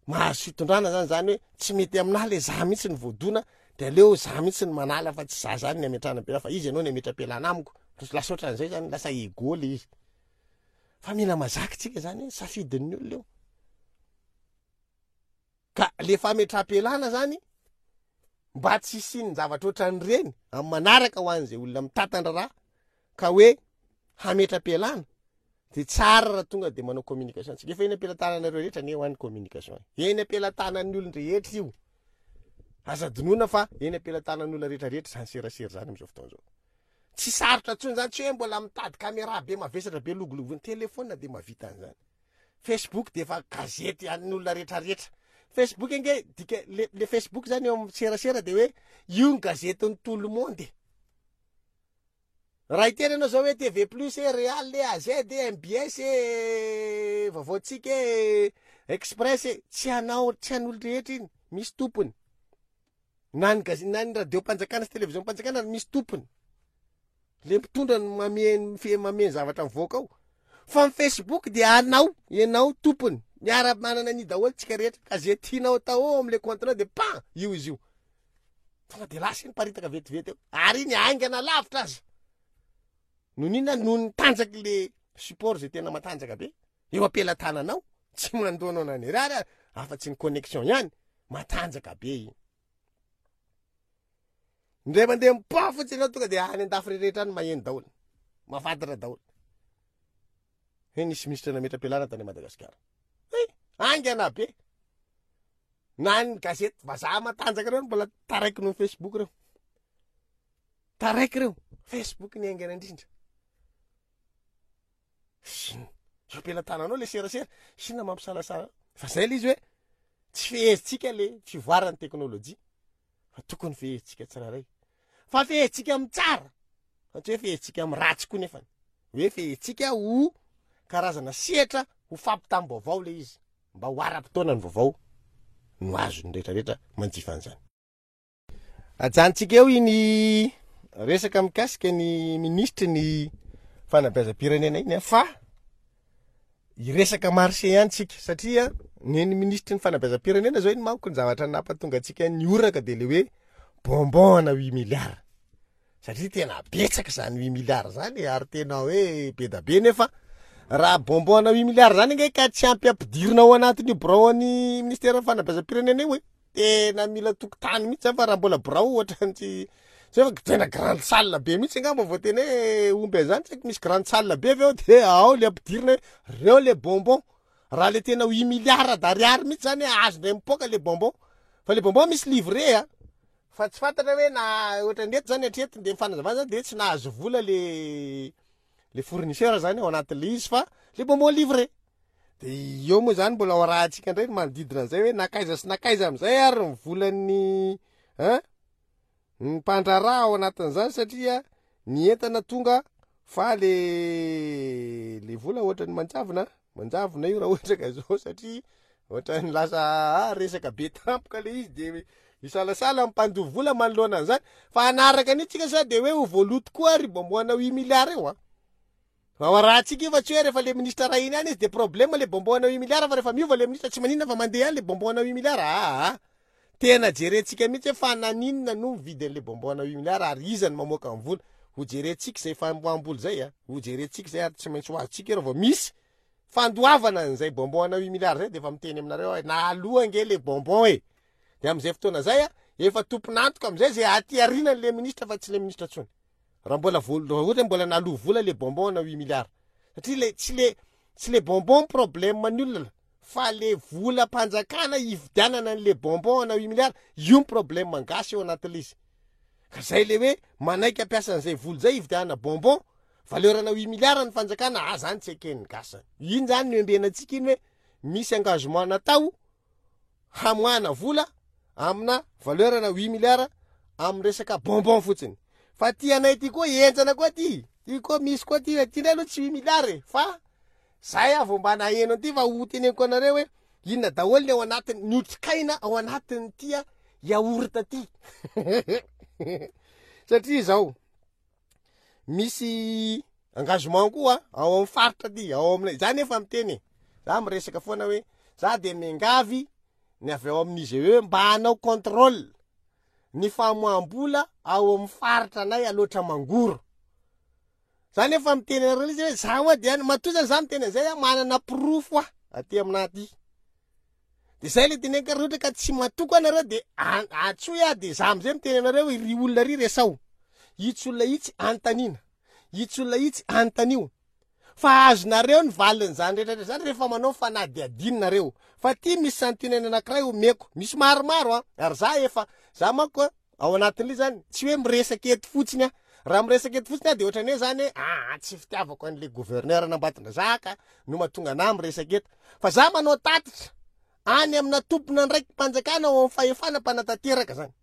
mahazo fitondrana zany, zany hoe tsy mety aminahy le za mihitsy ny voadona de aleo za mihitsy ny manala fa tsy za zany ny ametrahana pialana fa izy ianao ny ametra-pialana amiko. Lasa ohatran'izay zany, lasa ego le izy. Fa mila mazaka tsika zany hoe safidin'ny olona io. Ka le fametraham-pialana zany mba tsy hisian'ny zavatra ohatran'ireny amin'ny manaraka ho an'izay olona mitantana raha ka hoe hametra-pialana de tsara raha tonga de manao communication tsika. Efa eny am-pelatananareo rehetra anie ho an'ny communication. Eny am-pelatanan'ny olon-drehetra io. Aza adinoina fa eny am-pelatanan'ny olona rehetra rehetra zany serasera zany amin'izao fotoana izao. Tsy sarotra intsony zany, tsy hoe mbola mitady caméra be mavesatra be logologo, ny téléphone de mahavita an'izany. Facebook de efa gazety an'olona rehetrarehetra. Facebook ange dika le le Facebook zany eo amin'ny serasera de hoe io ny gazetin'ny tout le monde. Raha hiteny anao zao hoe T V Plus e, Real e, A Z e, M B S e, Vaovaontsika e, Express e, tsy anao, tsy an'olo rehetra iny, misy tompony. Na ny gazety, na ny radio-mpanjakana sy télévision-mpanjakana misy tompony. Le mpitondra no mameny fe mameny zavatra mivoaka ao. Fa ny Facebook de anao, ianao tompony. Miara manana ny daholo tsika rehetra, ka zay tianao atao ao am'le compte-nao de pan io izy io. Tonga de lasa iny, paritaka vetivety eo. Ary iny haingana lavitra aza. No ninona? Noho ny tanjaky le support zay tena matanjaka be. Eo am-pelatananao, tsy mandoanao na ny rary afa-tsy ny connexion ihany, matanjaka be iny. Ndray mandeha mipoa fotsiny anao, tonga de any andafy rehetra any maheno daholo. Mahafantatra daholo. Hoe nisy ministra nametra-pialana tany Madagasikara. Eh, haingana be. Na ny gazety vazaha matanjaka reo mbola taraiky noho ny Facebook reo. Taraiky reo. Facebook ny haingana indrindra. Ino? Eo am-pelatananao le serasera. Inona mampisalasala? Fa zay le izy hoe tsy fehezintsika le fivoaran'ny teknôlôjia. Fa tokony fehezintsika tsirairay. Fa fehezintsika amin'ny tsara. Fa tsy hoe fehezintsika amin'ny ratsy koa nefany. Hoe fehezintsika ho karazana sehatra ho fampitam-baovao le izy. Mba ho ara-potoana ny vaovao no azon'ny rehetrarehetra manjifa an'izany. Ajanontsika eo iny resaka mikasika ny ministry ny fanabeazam-pirenena iny a, fa iresaka marché ihany tsika, satria ny ny ministry ny fanabeazam-pirenena zao iny manko ny zavatra nampatonga antsika ny oraka de le hoe bonbon ana huit milliards, satria tena betsaka zany huit milliards zany, ary tena hoe be da be. Nefa raha bonbon ana huit milliards zany nge ka tsy ampy ampidirina ao anatin'io birao any ministère fanabeazam-pirenena io e, tena mila tokotany mihitsy zany. Fa raha mbola birao ohatrany tsy tsy hoe fa tena grande salle be mihitsy angamba vao tena hoe omby an'izany, tsy haiko, misy grande salle be avy eo de ao le ampidirina hoe reo le bonbon. Raha le tena huit milliards d'ariary mihitsy zany hoe azo ndray mipoaka le bonbon, fa le bonbon misy livré a, fa tsy fantatra hoe na ohatran'ny eto zany hatreto de mifanazavana zany de tsy nahazo vola le le fournisseur zany ao anatin'le izy, fa le bonbon livré de eo moa zany mbola ao rahantsika indray ny manodidina an'izay hoe nakaiza sy nakaiza am'izay ary ny volan'ny hein ny mpandraharaha ao anatin'izany, satria ny entana tonga fa le le vola ohatran'ny manjavona manjavona io raha ohatra ka zao, satria ohatran'ny lasa ah, resaka be tampoka le izy, de misalasala mpandoa vola manoloana an'izany. Fa anaraka an'io tsika sa de hoe ho voaloto koa ry bonbon ana huit milliards io a. Fa ao rahantsika io, fa tsy hoe rehefa le ministre ray iny ihany izy de problème le bonbon ana huit milliards, fa rehefa miova le ministre tsy maninona fa mandeha ihany le bonbon ana huit milliards. Aa, tena jerentsika mihitsy hoe fa naninona no mividy an'le bonbon ana huit milliards ary iza no mamoaka ny vola. Ho jerentsika zay famoaham-bola zay a, ho jerentsika zay, ary tsy maintsy ho azontsika io raha vao misy fandoavana an'izay bonbon ana huit milliards zay. De efa miteny aminareo hoe na aloha ange le bonbon e, de am'izay fotoana zay a efa tompon'antoka am'izay zay aty arinan'le ministre, fa tsy le ministre tsony raha mbola vol raha ohatra hoe mbola naloa vola le bonbon ana huit milliards, satria le tsy le tsy le bonbon problème ny olona, fa le volam-panjakana hividianana an'le bonbon ana huit milliards io ny problème gasy eo anatin'le izy. Ka zay le hoe manaiky ampiasa an'izay vola zay hividianana bonbon valeur ana huit milliards ny fanjakana ah zany, tsy eken'ny gasy zany iny. Zany no embenantsika iny hoe misy engagement natao hamoahana vola amina valeur ana huit milliards amin'ny resaka bonbon fotsiny. Fa ty anay ty koa enjana koa ty, ty koa misy koa ty, ty ndray aloha tsy huit milliards e, fa zay aho vao mba naheno an'ity, fa ho teneniko anareo hoe inona daholo ny ao anatiny, ny otrikaina ao anatin'ny ty a yaourt ty, satria zao misy engagement koa ao amin'ny faritra ty ao aminay za. Nefa miteny e, za miresaka foana hoe za de miangavy ny avy ao amin'ny I G E mba hanao contrôle ny famoaham-bola ao amin'ny faritra anay Aloatra Mangoro. Za nefa miteny anareo izy hoe za moa de any matoa zany za miteny an'izay, a manana porofo ah aty aminahy aty, de zay le teneniko. Raha ohatra ka tsy matoko anareo de antsoy ah, de za amizay miteny anareo hoe ry olona ry resao itsy olona itsy, antanina itsy olona itsy, antanio, fa azonareo ny valin'izany rehetrarehetra zany rehefa manao fanadihadiny nareo. Fa ty misy santionany anankiray omeko, misy maromaro a, ary za efa za manko Ao anatin'ilay zany, tsy hoe miresaka eto fotsiny aho. Raha miresaka eto fotsiny aho de ohatrany hoe zany hoe ah, tsy fitiavako an'le gouverneur an'Ambatondrazaka no mahatonga anahy miresaka eto. Fa za manao tatitra any amina tompon'andraiki-panjakana ao amin'ny fahefana mpanatanteraka zany.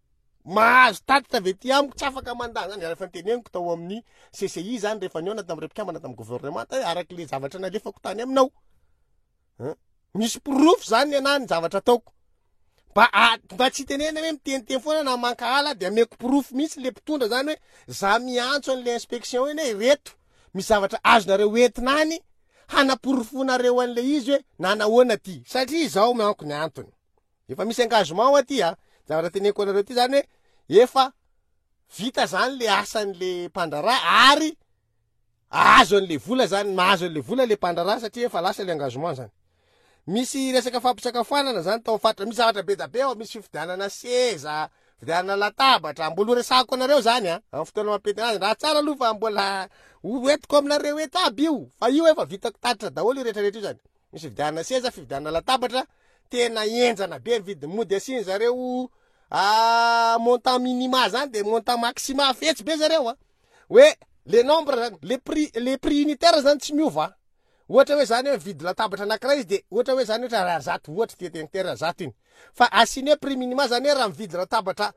Mahazo tatitra avy aty amiko, tsy afaka mandà zany. Rehefa niteneniko tao amin'ny C C I zany, rehefa nihaona tamin'ireo mpikambana tamin'ny gouvernement, hoe araky le zavatra nalefako tany aminao. Hein? Misy porofo zany anahy ny zavatra ataoko. Mba mba tsy tenena hoe miteniteny foana na mankahala, de ameko porofo mihitsy le mpitondra zany hoe za miantso an'le inspection eny hoe reto misy zavatra azonareo entina any hanaporofonareo an'le izy hoe nanahoana ty, satria zao manko ny antony efa misy engagement ao aty. A zavatra teneniko anareo ty zany hoe efa vita zany le asan'le mpandraharaha ary ahazo an'le vola zany, mahazo an'le vola le mpandraharaha satria efa lasa le engagement zany. Misy resaka fampisakafoanana zany tao faritra, misy zavatra be da be ao, misy fividianana seza, fividianana latabatra, mbola ho resahako anareo zany a amin'ny fotoana mampety anazy raha tsara aloha, fa mbola hoentiko aminareo eto aby io, fa io efa vitako tatitra daholo io rehetrarehetra io zany. Misy fividianana seza, fividianana latabatra, tena enjana be ny vidiny, mody asiany zareo montant minima zany de montant maxima fetsy be zareo a hoe le nombre zany, le prix le prix unitaire zany tsy miova. Ohatra hoe zany hoe mividy latabatra anankiray izy, de ohatra hoe zany ohatra ariary zato, ohatra ty tenitera zato iny, fa asiany hoe prix minima zany hoe raha mividy latabatra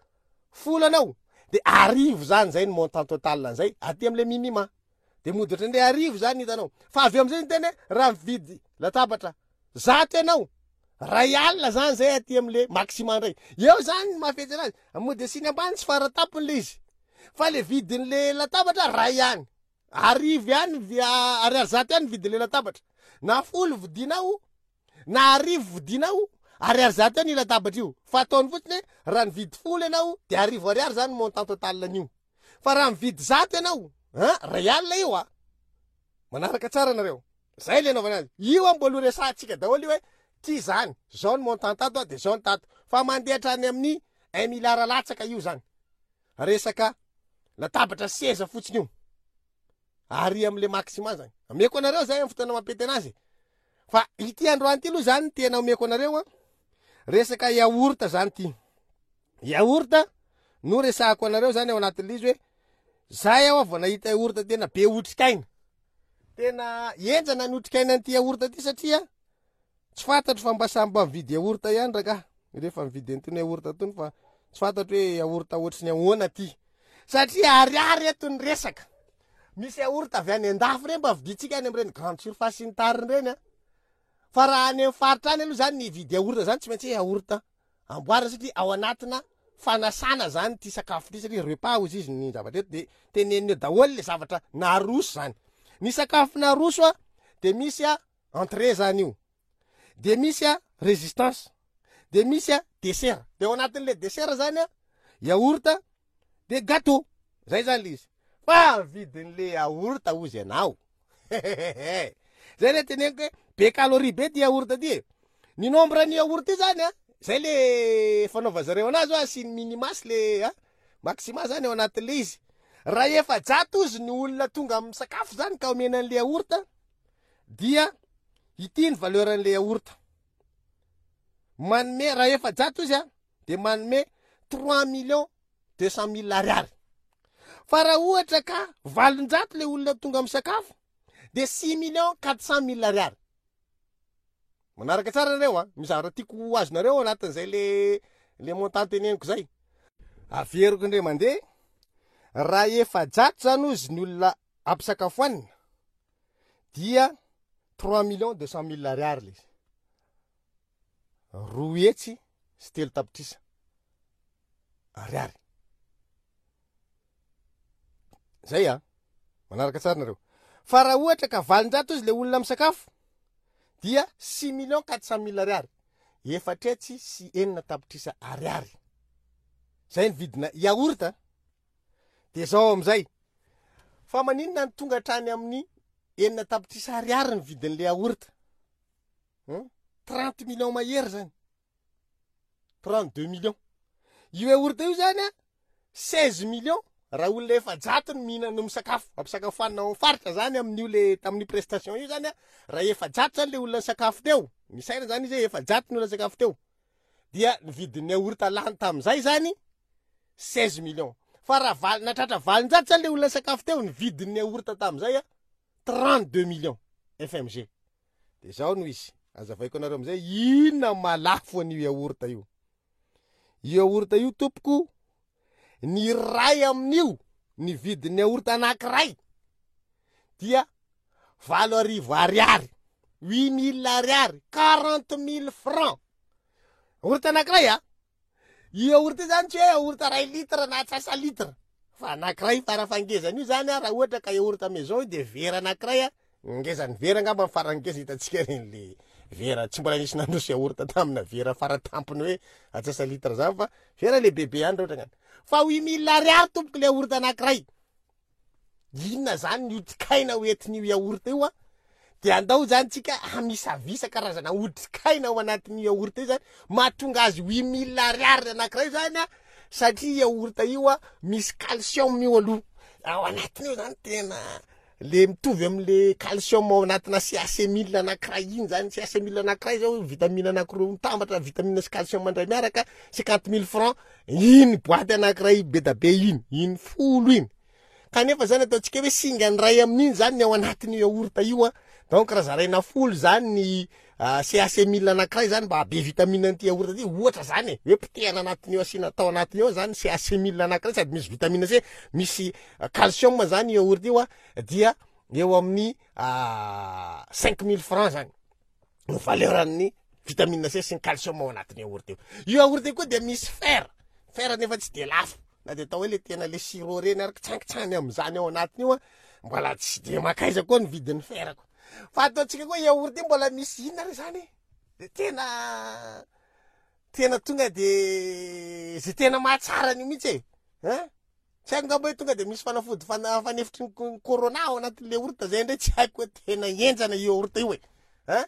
folo anao de arivo zany, zay ny montant total zay aty am'le minima, de mody ohatran'le arivo zany hitanao. Fa avy eo am'zay ny teny hoe raha mividy latabatra zato ianao, ray alina zany zay aty am'le maxima ndray eo zany mahafetsy anazy, mody asiany ambany tsy faratapony le izy, fa le vidin'le latabatra ray ihany, arivo ihany, ariary zato ihany vidin'le latabatra, na folo vidinao na arivo vidinao, ariary zato ihany io latabatra io. Fa ataony fotsiny hoe raha nividy folo ianao de arivo ariary zany montant total an'io, fa raha mividy zato ianao an ray alina io. A manaraka tsara anareo zay le anaovana azy io a mbola ho resahantsika daholo io hoe ty zany zao ny montant tato a de zao ny tato, fa mandeha hatrany amin'ny un milliard latsaka io zany, resaka latabatra seza fotsiny io ary am'le maxima zany. Ameko anareo zay amy fotoana mampety anazy, fa ity androany ty aloha zany tena omeko anareo a resaka yaourt zany. Ty yaourt no resahako anareo zany ao anatin'le izy hoe zay aho vao nahita yaourt tena be otrikaina, tena enjana ny otrikaina an'ity yaourt ty, satria tsy fantatro fa mba samy mba mividy yaourt ihany raka rehefa mividy an'itony yaourt tony, fa tsy fantatro hoe yaourt ohatry ny ahoana ty, satria ariary eto ny resaka. Misy yaourt avy any andafy reny mba vidintsika any am'ireny grande surface ny tariny reny a fa raha any amin'ny faritra any aloha zany ny vidy yaourt zany tsy maintsy hoe yaourt amboarina, satria ao anatina fanasana zany ty sakafo ty, satria repas ozy izy ny zavatra eto, de teneniny eo daholo le zavatra naroso zany. Ny sakafo naroso a de misy a entrée zany io, de misy a résistance, de misy a dessert, de ao anatin'le dessert zany a yaourt de gâteau zay zany le izy. Fa vidin'le yaourt ozy ianao zay le teneniko hoe be calorie be ty yaourt ty e. Ny nombre ny yaourt io zany a zay le fanaova zareo anazy hoe asiny minima sy le a maxima zany ao anatin'le izy. Raha efajato ozy ny olona tonga amin'ny sakafo zany ka omena an'le yaourt, dia ity ny valeur an'le yaourt manome. Raha efajato izy a de manome trois millions deux cent mille ariary, fa raha ohatra ka valonjato le olona tonga amin'ny sakafo de six millions quatre cent mille ariary. Manaraka tsara nareo a misy zavatra tiako ho azonareo ao anatin'izay le le montant teneniko zay. Averiko indray mandeha: raha efajato zany ozy ny olona ampisakafoanina dia trois millions deux cent mille ariary le izy, roa hetsy sy telo tapitrisa ariary zay a manaraka tsara nareo. Fa raha ohatra ka valonjato izy le olona misakafo dia six millions quatre cent mille ariary, efatra hetsy sy enina tapitrisa ariary zay ny vidina yaourt. De zao amizay, fa maninona ny tonga hatrany amin'ny enina tapitrisa ariary ny vidin'le yaourt? Trente millions mahery zany, trente deux millions io yaourt io zany a seize millions raha olona efajato ny mihinana misakafo ampisakafoanina ao faritra zany amin'io le tamin'io prestation io zany a raha efajato zany le olona nisakafo teo, misaina zany izy hoe efajato ny olona nisakafo teo, dia ny vidin'ny yaourt lany tam'izay zany seize millions. Fa raha val- natratra valonjato zany le olona sakafo teo, ny vidin'ny yaourt tam'izay a trente deux millions F M G. De zao no izy, azavaiko anareo amizay inona malafo an'io yaourt io. Io yaourt io tompoko, ny ray amin'io, ny vidin'ny yaourt anankiray dia valo arivo ariary, huit mille ariary, quarante mille francs yaourt anankiray a. Io yaourt io zany tsy hoe yaourt ray litre na atsasa litre, fa anankiray farafangezany io zany a. Raha ohatra ka yaourt maison io, de vera anankiray a, ngezany vera angamba ny farany ngeza hitantsika reny le vera. Tsy mbola nisy nandroso yaourt tamina vera faratampony hoe atsasa litre zany, fa vera lehibebe ihany raha ohatra ngany. Fa huit mille ariary tompoko le yaourt anankiray. Inona zany ny otrikaina hoentin'io yaourt io a? De andao zany tsika hamisavisa karazana otrikaina ao anatin'io yaourt io zany mahatonga azy huit mille ariary anankiray zany a. Satria yaourt io a misy calcium io aloha ao anatiny io zany, tena le mitovy am'le calcium ao anatina C A C mille anankiray iny zany. C A C mille anankiray zao, vitamine anankiroa mitambatra, vitamine sy calcium mandray miaraka, cinquante mille francs iny boîte anankiray be da be iny, iny folo iny. Kanefa zany ataontsika hoe singany ray amin'iny zany ny ao anatin'io yaourt io a. Donc raha zaraina folo zany ny C A C mille anankiray zany mba be vitamine an'ity yaourt ty, ohatra zany e, hoe potehana anatin'io, asiana tao anatiny ao zany C A C mille anankiray, sady misy vitamine C, misy calcium zany yaourt io a, dia eo amin'ny cinq mille francs zany no valeur-an'ny vitamine C sy ny calcium ao anatin'ny yaourt io. Io yaourt io koa de misy fer, fer nefa tsy de lafo na de atao hoe le tena le sirop reny ary kitsankitsany am'zany ao anatiny io a, mbola tsy de makaiza koa ny vidin'ny fer ko. Fa ataontsika koa yaourt io mbola misy inona re zany de tena tena tonga de zay tena mahatsara an'io mihitsy e, ein tsy haiko ngamba hoe tonga de misy fanafody fana fanefitry ny corona ao anatin'le yaourt zay ndray, tsy haiko hoe tena enjana io yaourt io e, ein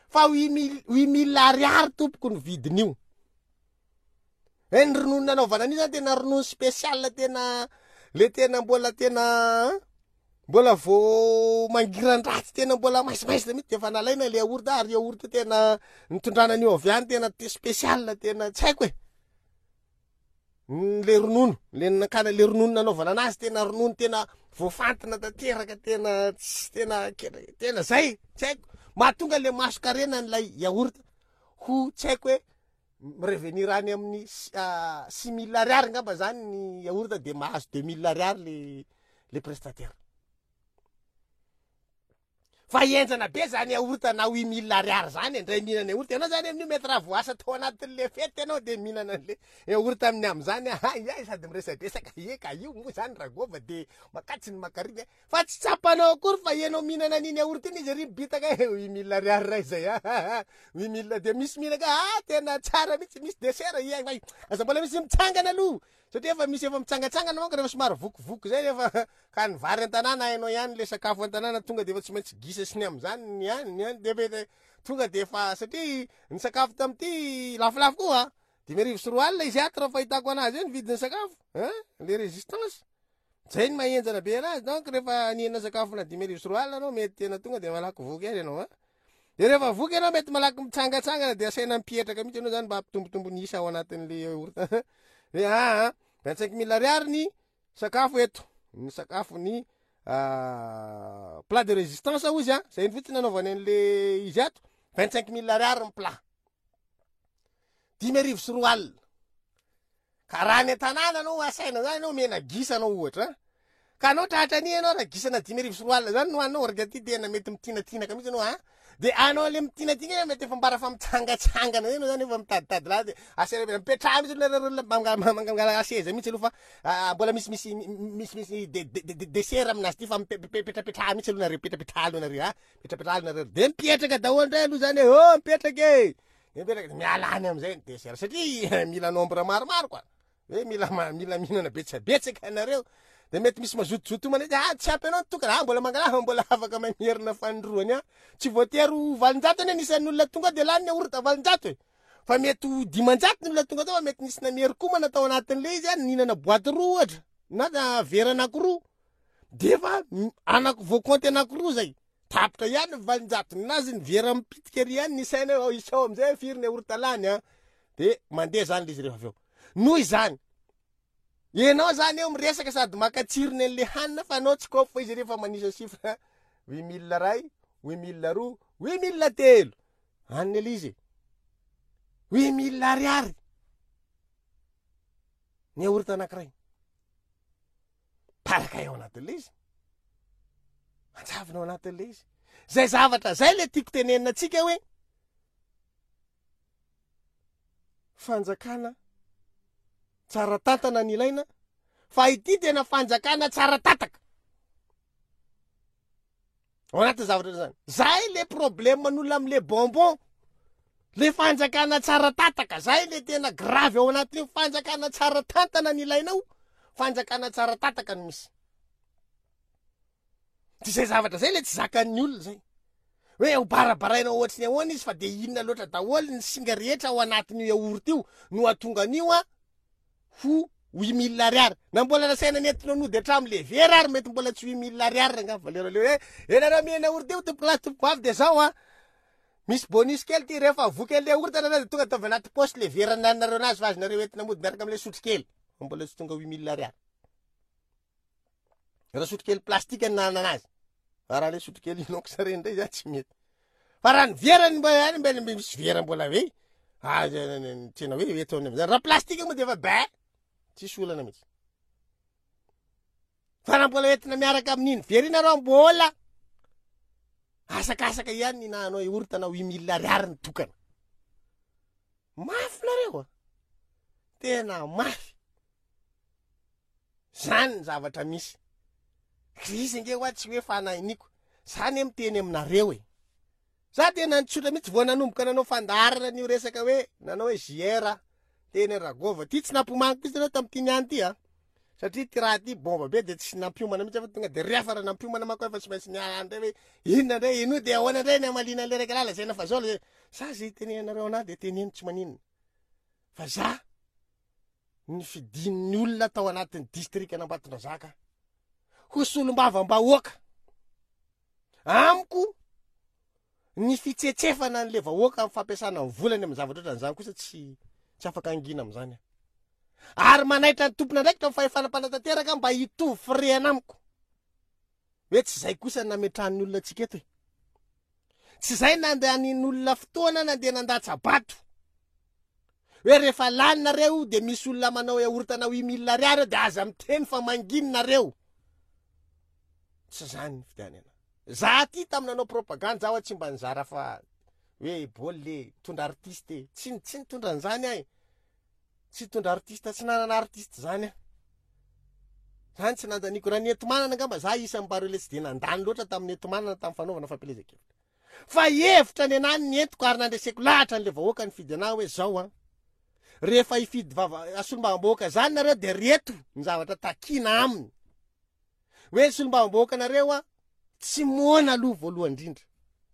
fa huit mille huit mille ariary tompoko ny vidin'io e. Ny ronono nanaovana an'io zany tena ronono spécial, tena le tena mbola tena mbola vo mangiran-dratsy, tena mbola maisimaisina mihitsy de efa nalaina le yaourt. Ary yaourt tena nitondrana an'io avy any tena spécial, tena tsy haiko e, le ronono le nakana, le ronono nanaovana anazy tena ronono tena voafantina tanteraka, tena tsy tena tena zay tsy haiko mahatonga le masokarena n'lay yaourt ho tsy haiko hoe mirevenir any amin'ny six mille ariary ngamba zany ny yaourt, de mahazo deux mille ariary le le prestataire. Fa enjana be zany yaourt na huit mille ariary zany. Indray mihinana yaourt ianao zany amin'io, mety raha voasa tao anatin'le fety ianao de mihinana an'le yaourt amin'ny am'zany ay sady miresadresaka e, ka io moa zany ragova de makatsy ny makariny, fa tsy tsapanao akory fa ianao mihinana an'iny yaourt iny izy ry bitaka e, huit mille ariary ray zay a, huit mille. De misy mihinaka ah tena tsara mihitsy, misy dessert ia, aza mbola misy mitsangana aloha satria efa misy efa mitsangatsangana manko rehefa somary vokivoky zay. Efa ka ny vary an-tanàna hainao ihany, le sakafo an-tanàna tonga de efa tsy maintsy gisa sy ny am'zany ny any ny any, de mety tonga de efa satria ny sakafo tam'ity lafolafo koa, dimy arivo sy roa alina izy ato raha fahitako anazy io ny vidin'ny sakafo ein le résistance zay ny mahenjana be anazy. Donc rehefa nihinana sakafo na dimy arivo sy roa alina anao, mety tena tonga de malaky voky ihany ianao a. De rehefa voky ianao, mety malaky mitsangatsangana, de asaina mipietraka mihitsy ianao zany mba hampitombotombo ny isa ao anatin'le yaourt hoe aa vingt cinq mille ariary ny sakafo eto, ny sakafo, ny plat de résistance ozy a, zay ny fotsiny nanaovany an'le izy ato, vingt cinq mille ariary ny plat, dimy arivo sy roa alina. Ka raha ny an-tanàna anao asaina zany anao mena gisa anao ohatra, ka anao tratra ani ianao raha gisana dimy arivo sy roa alina zany no hoaninao orga ty, tena mety mitinatinaka mihitsy anao a. De anao le mitinatina mety efa mbara fa mitsangatsangana zay anao zany, efa mitaditady lahy, de asaina mipetraha mihitsy aloha, mangala seza mihitsy aloha, fa mbola misimisy misimisy dessert aminazy ty, fa mipetrapetraha mihitsy aloha nareo, petrapetraha aloha nareo a, petrapetraha aloha nareo. De mipetraka daholo ndray aloha zany hoe oh mipetraky e, de mipetraka miala any amizay ny dessert, satria mila nombre maromaro koa hoe mila mila mihinana betsabetsaka anareo. De mety misy mazotozoto homana izy ah tsy ampy anao tokana ah mbola mangala, mbola afaka mamerina fanindroany a. Tsy voatery ho valonjato anie nisan'ny olona tonga de lany ny yaourt valonjato e, fa mety ho dimanjato ny olona tonga tao, fa mety nisy namery komana tao anatin'le izy a, nihinana boîte roa ohatra na vera anakiroa, de efa anaky voakonty anakiroa zay, tapitra ihany ny valonjato ninazy, ny vera mipitika ry ihany ny saina hoe isao amizay firy ny yaourt lany a. De mandeha zany le izy rehefa avy eo. Noho izany Ianao zany eo miresaka sady maka tsirony an'le hanina fa anao tsy kôpy fa izy rehefa manisa chiffre huit mille ray, huit mille roa, huit mille telo. Hanina le izy. Huit mille ariary. Ny yaourt anankiray. Paraka eo anatin'le izy. Anjavona ao anatin'le izy. Zay zavatra zay le tiako tenenina antsika hoe fanjakana tsara tantana ny ilaina, fa ity tena fanjakana tsara tataka. Ao anatin'ny zavatra zany. Zay le problème n'olona am'le bonbon. Le fanjakana tsara tataka, zay le tena grave ao anatin'io. Fanjakana tsara tantana ny ilainao, fanjakana tsara tataka no misy. Tsy zay zavatra zay le tsy zakan'ny olona zay. Hoe ho barabaraina ohatry ny ahoana izy fa de inona loatra daholo ny singa rehetra ao anatin'io yaourt io no ahatonga an'io a ho huit mille ariary. Na mbola nasaina nentina nody hatramin'le vera ary mety mbola tsy huit mille ariary angamba valeur le hoe ianareo mihinana yaourt io tompoko lahy tompoko vavy de zao a misy bonus kely ty rehefa voky an'le yaourt nareo de tonga ataovy anaty poche le vera nanareo anazy fa azonareo entina mody miaraka am'le sotro kely. Fa mbola tsy tonga huit mille ariary. Raha sotro kely plastique ny nanana anazy. Fa raha le sotro kely inox reny ndray za tsy mety. Fa raha ny vera ny mba any mba misy vera mbola hoe ah, tena hoe eto am'zany. Raha plastique moa de efa ba tsisy olana mihitsy. Fa raha mbola entina miaraka amin'iny vera iny nareo mbola asakasaka ihany ny nahanao yaourt na huit mille ariary ny tokana. Mafy nareo a. Tena mafy. Zany ny zavatra misy. Krizy ange hoa tsy hoe fanahiniko. Zany miteny aminareo e. Za tena nitsotra mihitsy vao nanomboka nanao fandaharana an'io resaka hoe nanao hoe J R teny Ragova. Ty tsy nampiomany kosa nareo tamin'ity niany ty a. Satria ty raha ty bomba be de tsy nampiomana mihitsy fa tonga de rehefa raha nampiomana manko efa tsy maintsy niala ndray hoe inona ndray ino de ahoana ndray ny hamaliana an'le raiky lahy lazaina fa zao le za zay tenenareo anahy de teneno tsy maninona. Fa za ny fidin'ny olona tao anatin'ny distrika an'Ambatondrazaka ho solombavam-bahoaka. Amiko ny fitsetsefana an'le vahoaka amin'ny fampiasana ny volany amin'ny zavatra ohatran'izany kosa tsy, tsy afaka angina amin'izany aho. Ary manaitra ny tompon'andraikitra amin'ny fahefana mpanatanteraka mba hitovy firehana amiko. Hoe tsy zay kosa nametrahan'ny olona antsika eto e. Tsy zay nandehanin'olona fotoana nandeha nandatsa-bato. Hoe rehefa lany nareo de misy olona manao yaourt na huit mille ariary de aza miteny fa manginy nareo. Tsy zany ny fidianana. Za ty tamin'ny nanao propagande zaho tsy mba nizara fa hoe baolina e, mitondra artiste e. Tsy, tsy nitondra an'izany aho e. Tsy nitondra artiste, tsy nanana artiste zany aho. Zany tsy nandaniko. Raha ny enti-manana angamba za isan'ny mba reo le tsy de nandany loatra tamin'ny enti-manana tamin'ny fanaovana fampielezan-kevitra. Fa hevitra ny anahy ny entiko ary nandreseko lahatra an'le vahoaka nifidy anahy hoe zao a. Rehefa hifidy vava solombavambahoaka zany nareo de reto ny zavatra takina aminy. Hoe ny solombavambahoaka nareo a tsy moana aloha voalohany indrindra.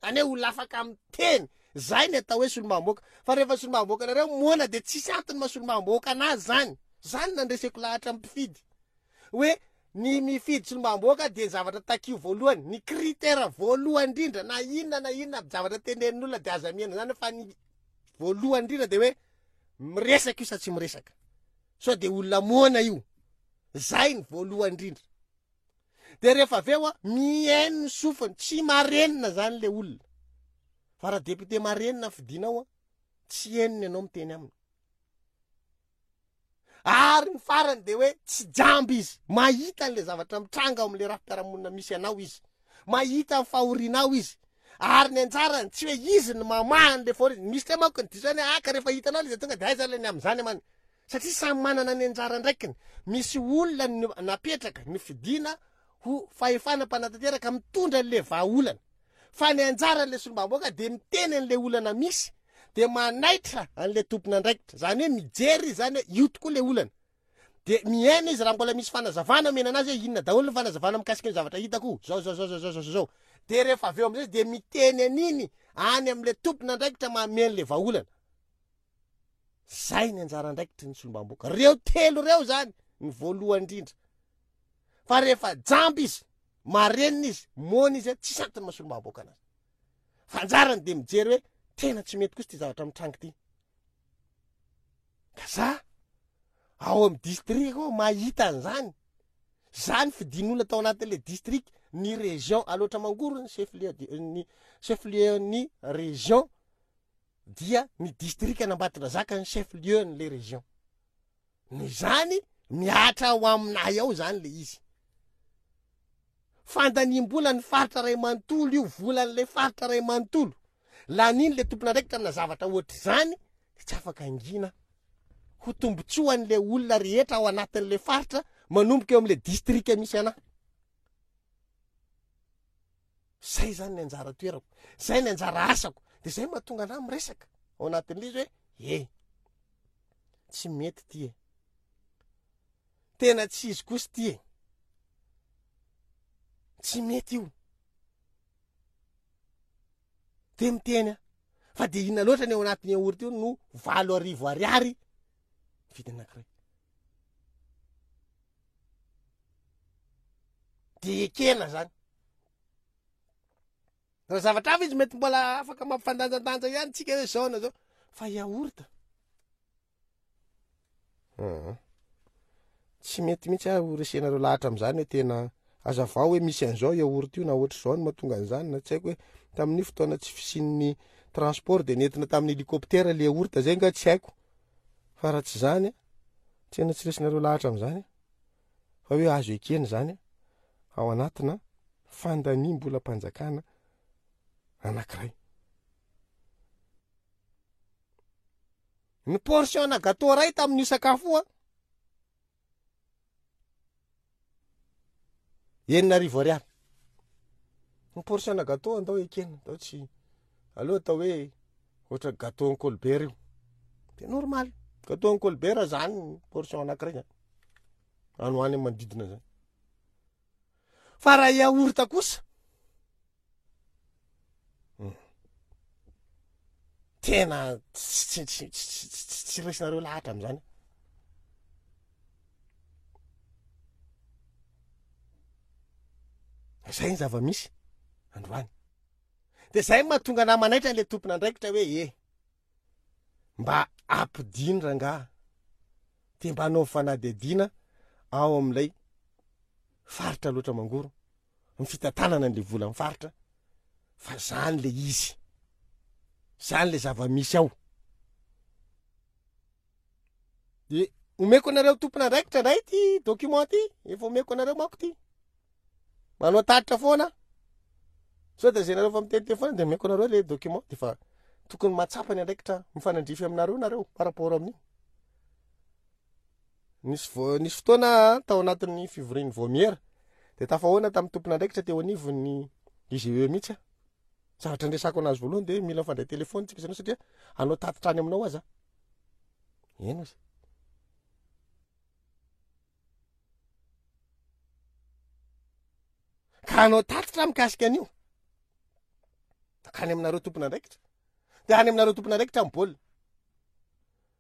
Zany hoe olona afaka miteny. Zay ny atao hoe solombavambahoaka. Fa rehefa solombavambahoaka nareo moana de tsisy antony maha solombavambahoaka anazy zany. Zany nandreseko lahatra amin'ny mpifidy. Hoe ny mifidy solombavambahoaka de zavatra takio voalohany, ny critère voalohany indrindra na inona na inona zavatra tenenin'olona de aza mihena zany fa ny voalohany indrindra de hoe miresaka io sa tsy miresaka. Sao de olona moana io. Zay ny voalohany indrindra. De rehefa avy eo a mihaino ny sofiny, tsy marenina zany le olona. Fa raha député marenina fidinao a tsy henony ianao miteny aminy. Ary ny farany de hoe tsy jamba izy, mahita an'le zavatra mitranga ao amin'le rafi-piarahamonina misy anao izy, mahita ny fahorianao izy. Ary ny anjarany tsy hoe izy no mamaha an'le fahoriana. Misy tena manko ny diso hoe aka rehefa hitanao izy tonga de aiza le ny amin'izany amany. Satria samy manana ny anjara andraikiny. Misy olona no napetraka ny fidina ho fahefana mpanatanteraka mitondra an'le vahaolana. Fa ny anjaran'le solombavambahoaka de miteny an'le olana misy, de manaitra an'le tompon'andraikitra. Zany hoe mijery izy zany hoe io tokoa le olana. De mihaino izy raha mbola misy fanazavana omena anazy hoe inona daholo ny fanazavana mikasika ny zavatra hitako. Zao, zao, zao, zao, zao, zao, zao. De rehefa avy eo amizay izy de miteny an'iny any amin'le tompon'andraikitra manome an'le vahaolana. Zay ny anjara andraikitry ny solombavambahoaka. Reo telo reo zany ny voalohany indrindra. Fa rehefa jamba izy, marenina izy, moana izy, tsisy antony maha solombavambahoaka anazy. Fa anjarany de mijery hoe tena tsy mety kosa ty zavatra mitranga ty. Ka za Ao amin'ny district ao mahita an'izany. Zany fidin'olona tao anatin'le district, ny région Alaotra Mangoro ny chef lieu ny chef lieu ny région dia ny district an'Ambatondrazaka ny chef lieu n'le région. Noho izany mihatra ao aminay ao zany le izy. Fandaniam-bola ny faritra ray manontolo io, volan'le faritra ray manontolo. Laniny le tompon'andraikitra amina zavatra ohatr'izany de tsy afaka angina. Ho tombotsoan'le olona rehetra ao anatin'le faritra manomboka eo amin'le district misy anahy. Zay zany ny anjara toerako, zay ny anjara asako, de zay mahatonga anahy miresaka ao anatin'le izy hoe e, tsy mety ty e, tena tsy izy kosa ty e, tsy mety io. De miteny aho fa de inona loatra ny ao anatin'ny yaourt io no valo arivo ariary vidiny anankiray. De ekena zany. Raha zavatra hafa izy mety mbola afaka mampifandanjandanja ihany tsika hoe zao na zao, fa yaourt. Uhum. Tsy mety mihitsy aho resenareo lahatra amin'izany hoe tena azavao hoe misy an'izao yaourt io na ohatr'izao no mahatonga an'izany, na tsy haiko hoe tamin'ny fotoana tsy fisian'ny transport de nentina tamin'ny hélicoptère le yaourt, zay nga tsy haiko. Fa raha tsy zany, tena tsy resinareo lahatra amin'izany fa hoe azo ekena zany ao anatina fandaniam-bolam-panjakana anankiray. Ny portion na gâteau iray tamin'io sakafo io, enina arivo ariary. Ny portion na gâteau andao ekena, andao tsy aloha atao hoe ohatra gâteau en Colbert io. De normal, gâteau en Colbert zany ny portion anankiray zany. Any ho any manodidina zany. Fa raha yaourt kosa, tena tsy tsy tsy tsy tsy raisinareo lahatra amin'izany. Zay ny zava-misy androany. De zay mahatonga anah manaitra an'le tompon'andraikitra hoe e, mba ampidino rangaha, de mba anaovy fanadihadiana ao amin'ilay faritra Alaotra Mangoro, ny fitantanana an'le volan'ny faritra, fa zany le izy, zany le zava-misy ao. De omeko anareo tompon'andraikitra indray ty document ty, efa omeko anareo manko ty. Manao tatitra foana. Sao de zay nareo fa miteniteny foana de omeko anareo le document, de fa tokony mahatsapa ny andraikitra mifanandrify aminareo nareo par rapport amin'io. Nisy vo-, nisy fotoana tao anatin'ny fivorian'ny vaomiera de tafahoana tamin'ny tompon'andraikitra teo anivon'ny I G E mihitsy aho. Zavatra ndresako anazy voalohany de mila mifandray telefôny tsika izany satria hanao tatitra any aminao aza. Eny ozy. Ka hanao tatitra mikasika an'io. Ka any aminareo tompon'andraikitra. De any aminareo tompon'andraikitra ny baolina.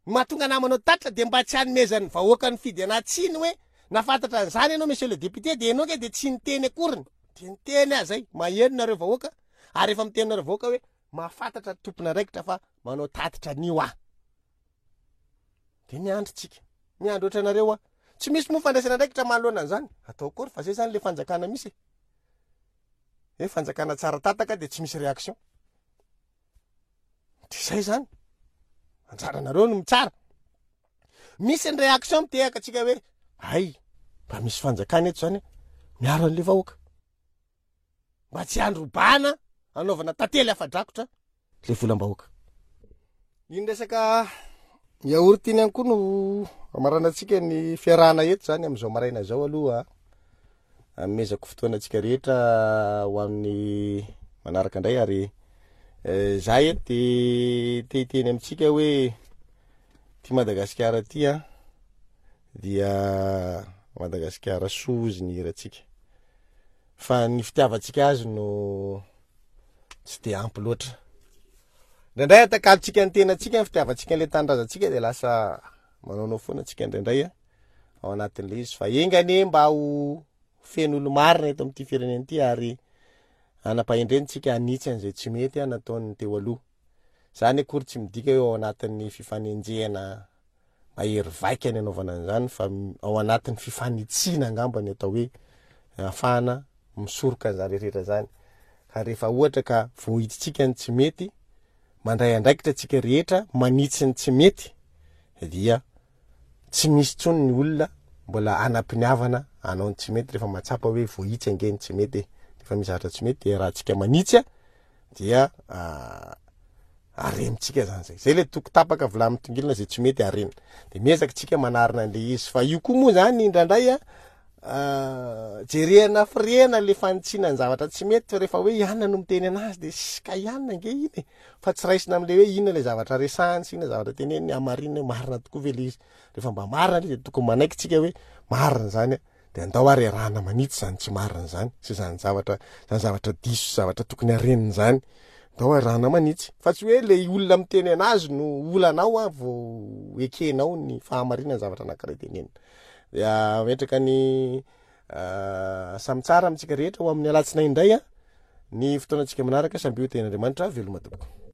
Ny mahatonga anah manao tatitra de mba tsy hanomezan'ny vahoaka ny fidy anah tsiny hoe nahafantatra an'izany ianao monsieur le député de ianao nge de tsy niteny akoriny. De niteny aho zay, maheno nareo vahoaka ary efa miteny nareo vahoaka hoe mahafantatra tompon'andraikitra fa manao tatitra an'io aho. De miandry tsika, miandry ohatry anareo aho. Tsy misy moa fandraisana andraikitra manoloana an'izany. Atao akory fa zay zany le fanjakana misy e. Hoe fanjakana tsara tataka de tsy misy réaction. De zay zany. Anjaranareo no mitsara. Misy ny réaction mitehaka antsika hoe ay, mba misy fanjakana eto zany miaro an'le vahoaka. Mba tsy handrobana anaovana tantely afa-drakotra le volam-bahoaka. Iny resaka yaourt iny ihany koa no amaranantsika ny fiarahana eto zany amin'izao maraina izao aloha. Anomezako fotoana antsika rehetra ho amin'ny manaraka indray ary, eh, za eto de te hiteny amintsika hoe ty Madagasikara ty a dia Madagasikara soa ozy ny hirantsika. Fa ny fitiavantsika azy no tsy de ampy loatra. Indraindray atakalontsika ny tenantsika ny fitiavantsika an'ilay tanindrazantsika de lasa manaonao foana antsika indraindray a ao anatin'ilay izy. Fa enga anie mba ho feno olo-marina eto amin'ity firenena ity ary hanam-pahendrentsika hanitsy an'izay tsy mety a nataon'ny teo aloha. Zany akory tsy midika hoe ao anatin'ny fifanenjehana mahery vaika ny anaovana an'izany, fa ao anatin'ny fifanitsiana angamba ny atao hoe ahafahana misoroka an'izany rehetra zany. Ka rehefa ohatra ka voahiditsika ny tsy mety, mandray andraikitra antsika rehetra manitsy ny tsy mety, dia tsy misy intsony ny olona mbola hanam-piniavana hanao ny tsy mety rehefa mahatsapa hoe voahitsy ange ny tsy mety e. Rehefa misy zavatra tsy mety dia raha antsika manitsy dia arenintsika zany zay. Zay le toko tapaka vilany mitongilana zay tsy mety arenina. De miezaka tsika manarina an'le izy. Fa io koa moa zany indraindray a, jerena firehana le fanitsiana ny zavatra tsy mety, fa rehefa hoe ianona no miteny anazy de sy ka ianona ange iny e. Fa tsy raisina am'le hoe inona le zavatra resahany sy inona zavatra teneniny, hamarinina hoe marina tokoa ve le izy. Rehefa mba marina le izy de tokony manaiky tsika hoe marina zany a, de andao ary arahana manitsy zany tsy marina zany sy zany zavatra, zany zavatra diso, zavatra tokony harenina zany. Andao arahana manitsy. Fa tsy hoe le olona miteny anazy no olanao a vao ekenao ny fahamarinana zavatra anankiray tenenina. Dia ametraka ny samy tsara amintsika rehetra ho amin'ny alatsinainy indray a ny fotoanantsika manaraka. Samby ho tenin'Andriamanitra, veloma tompoko.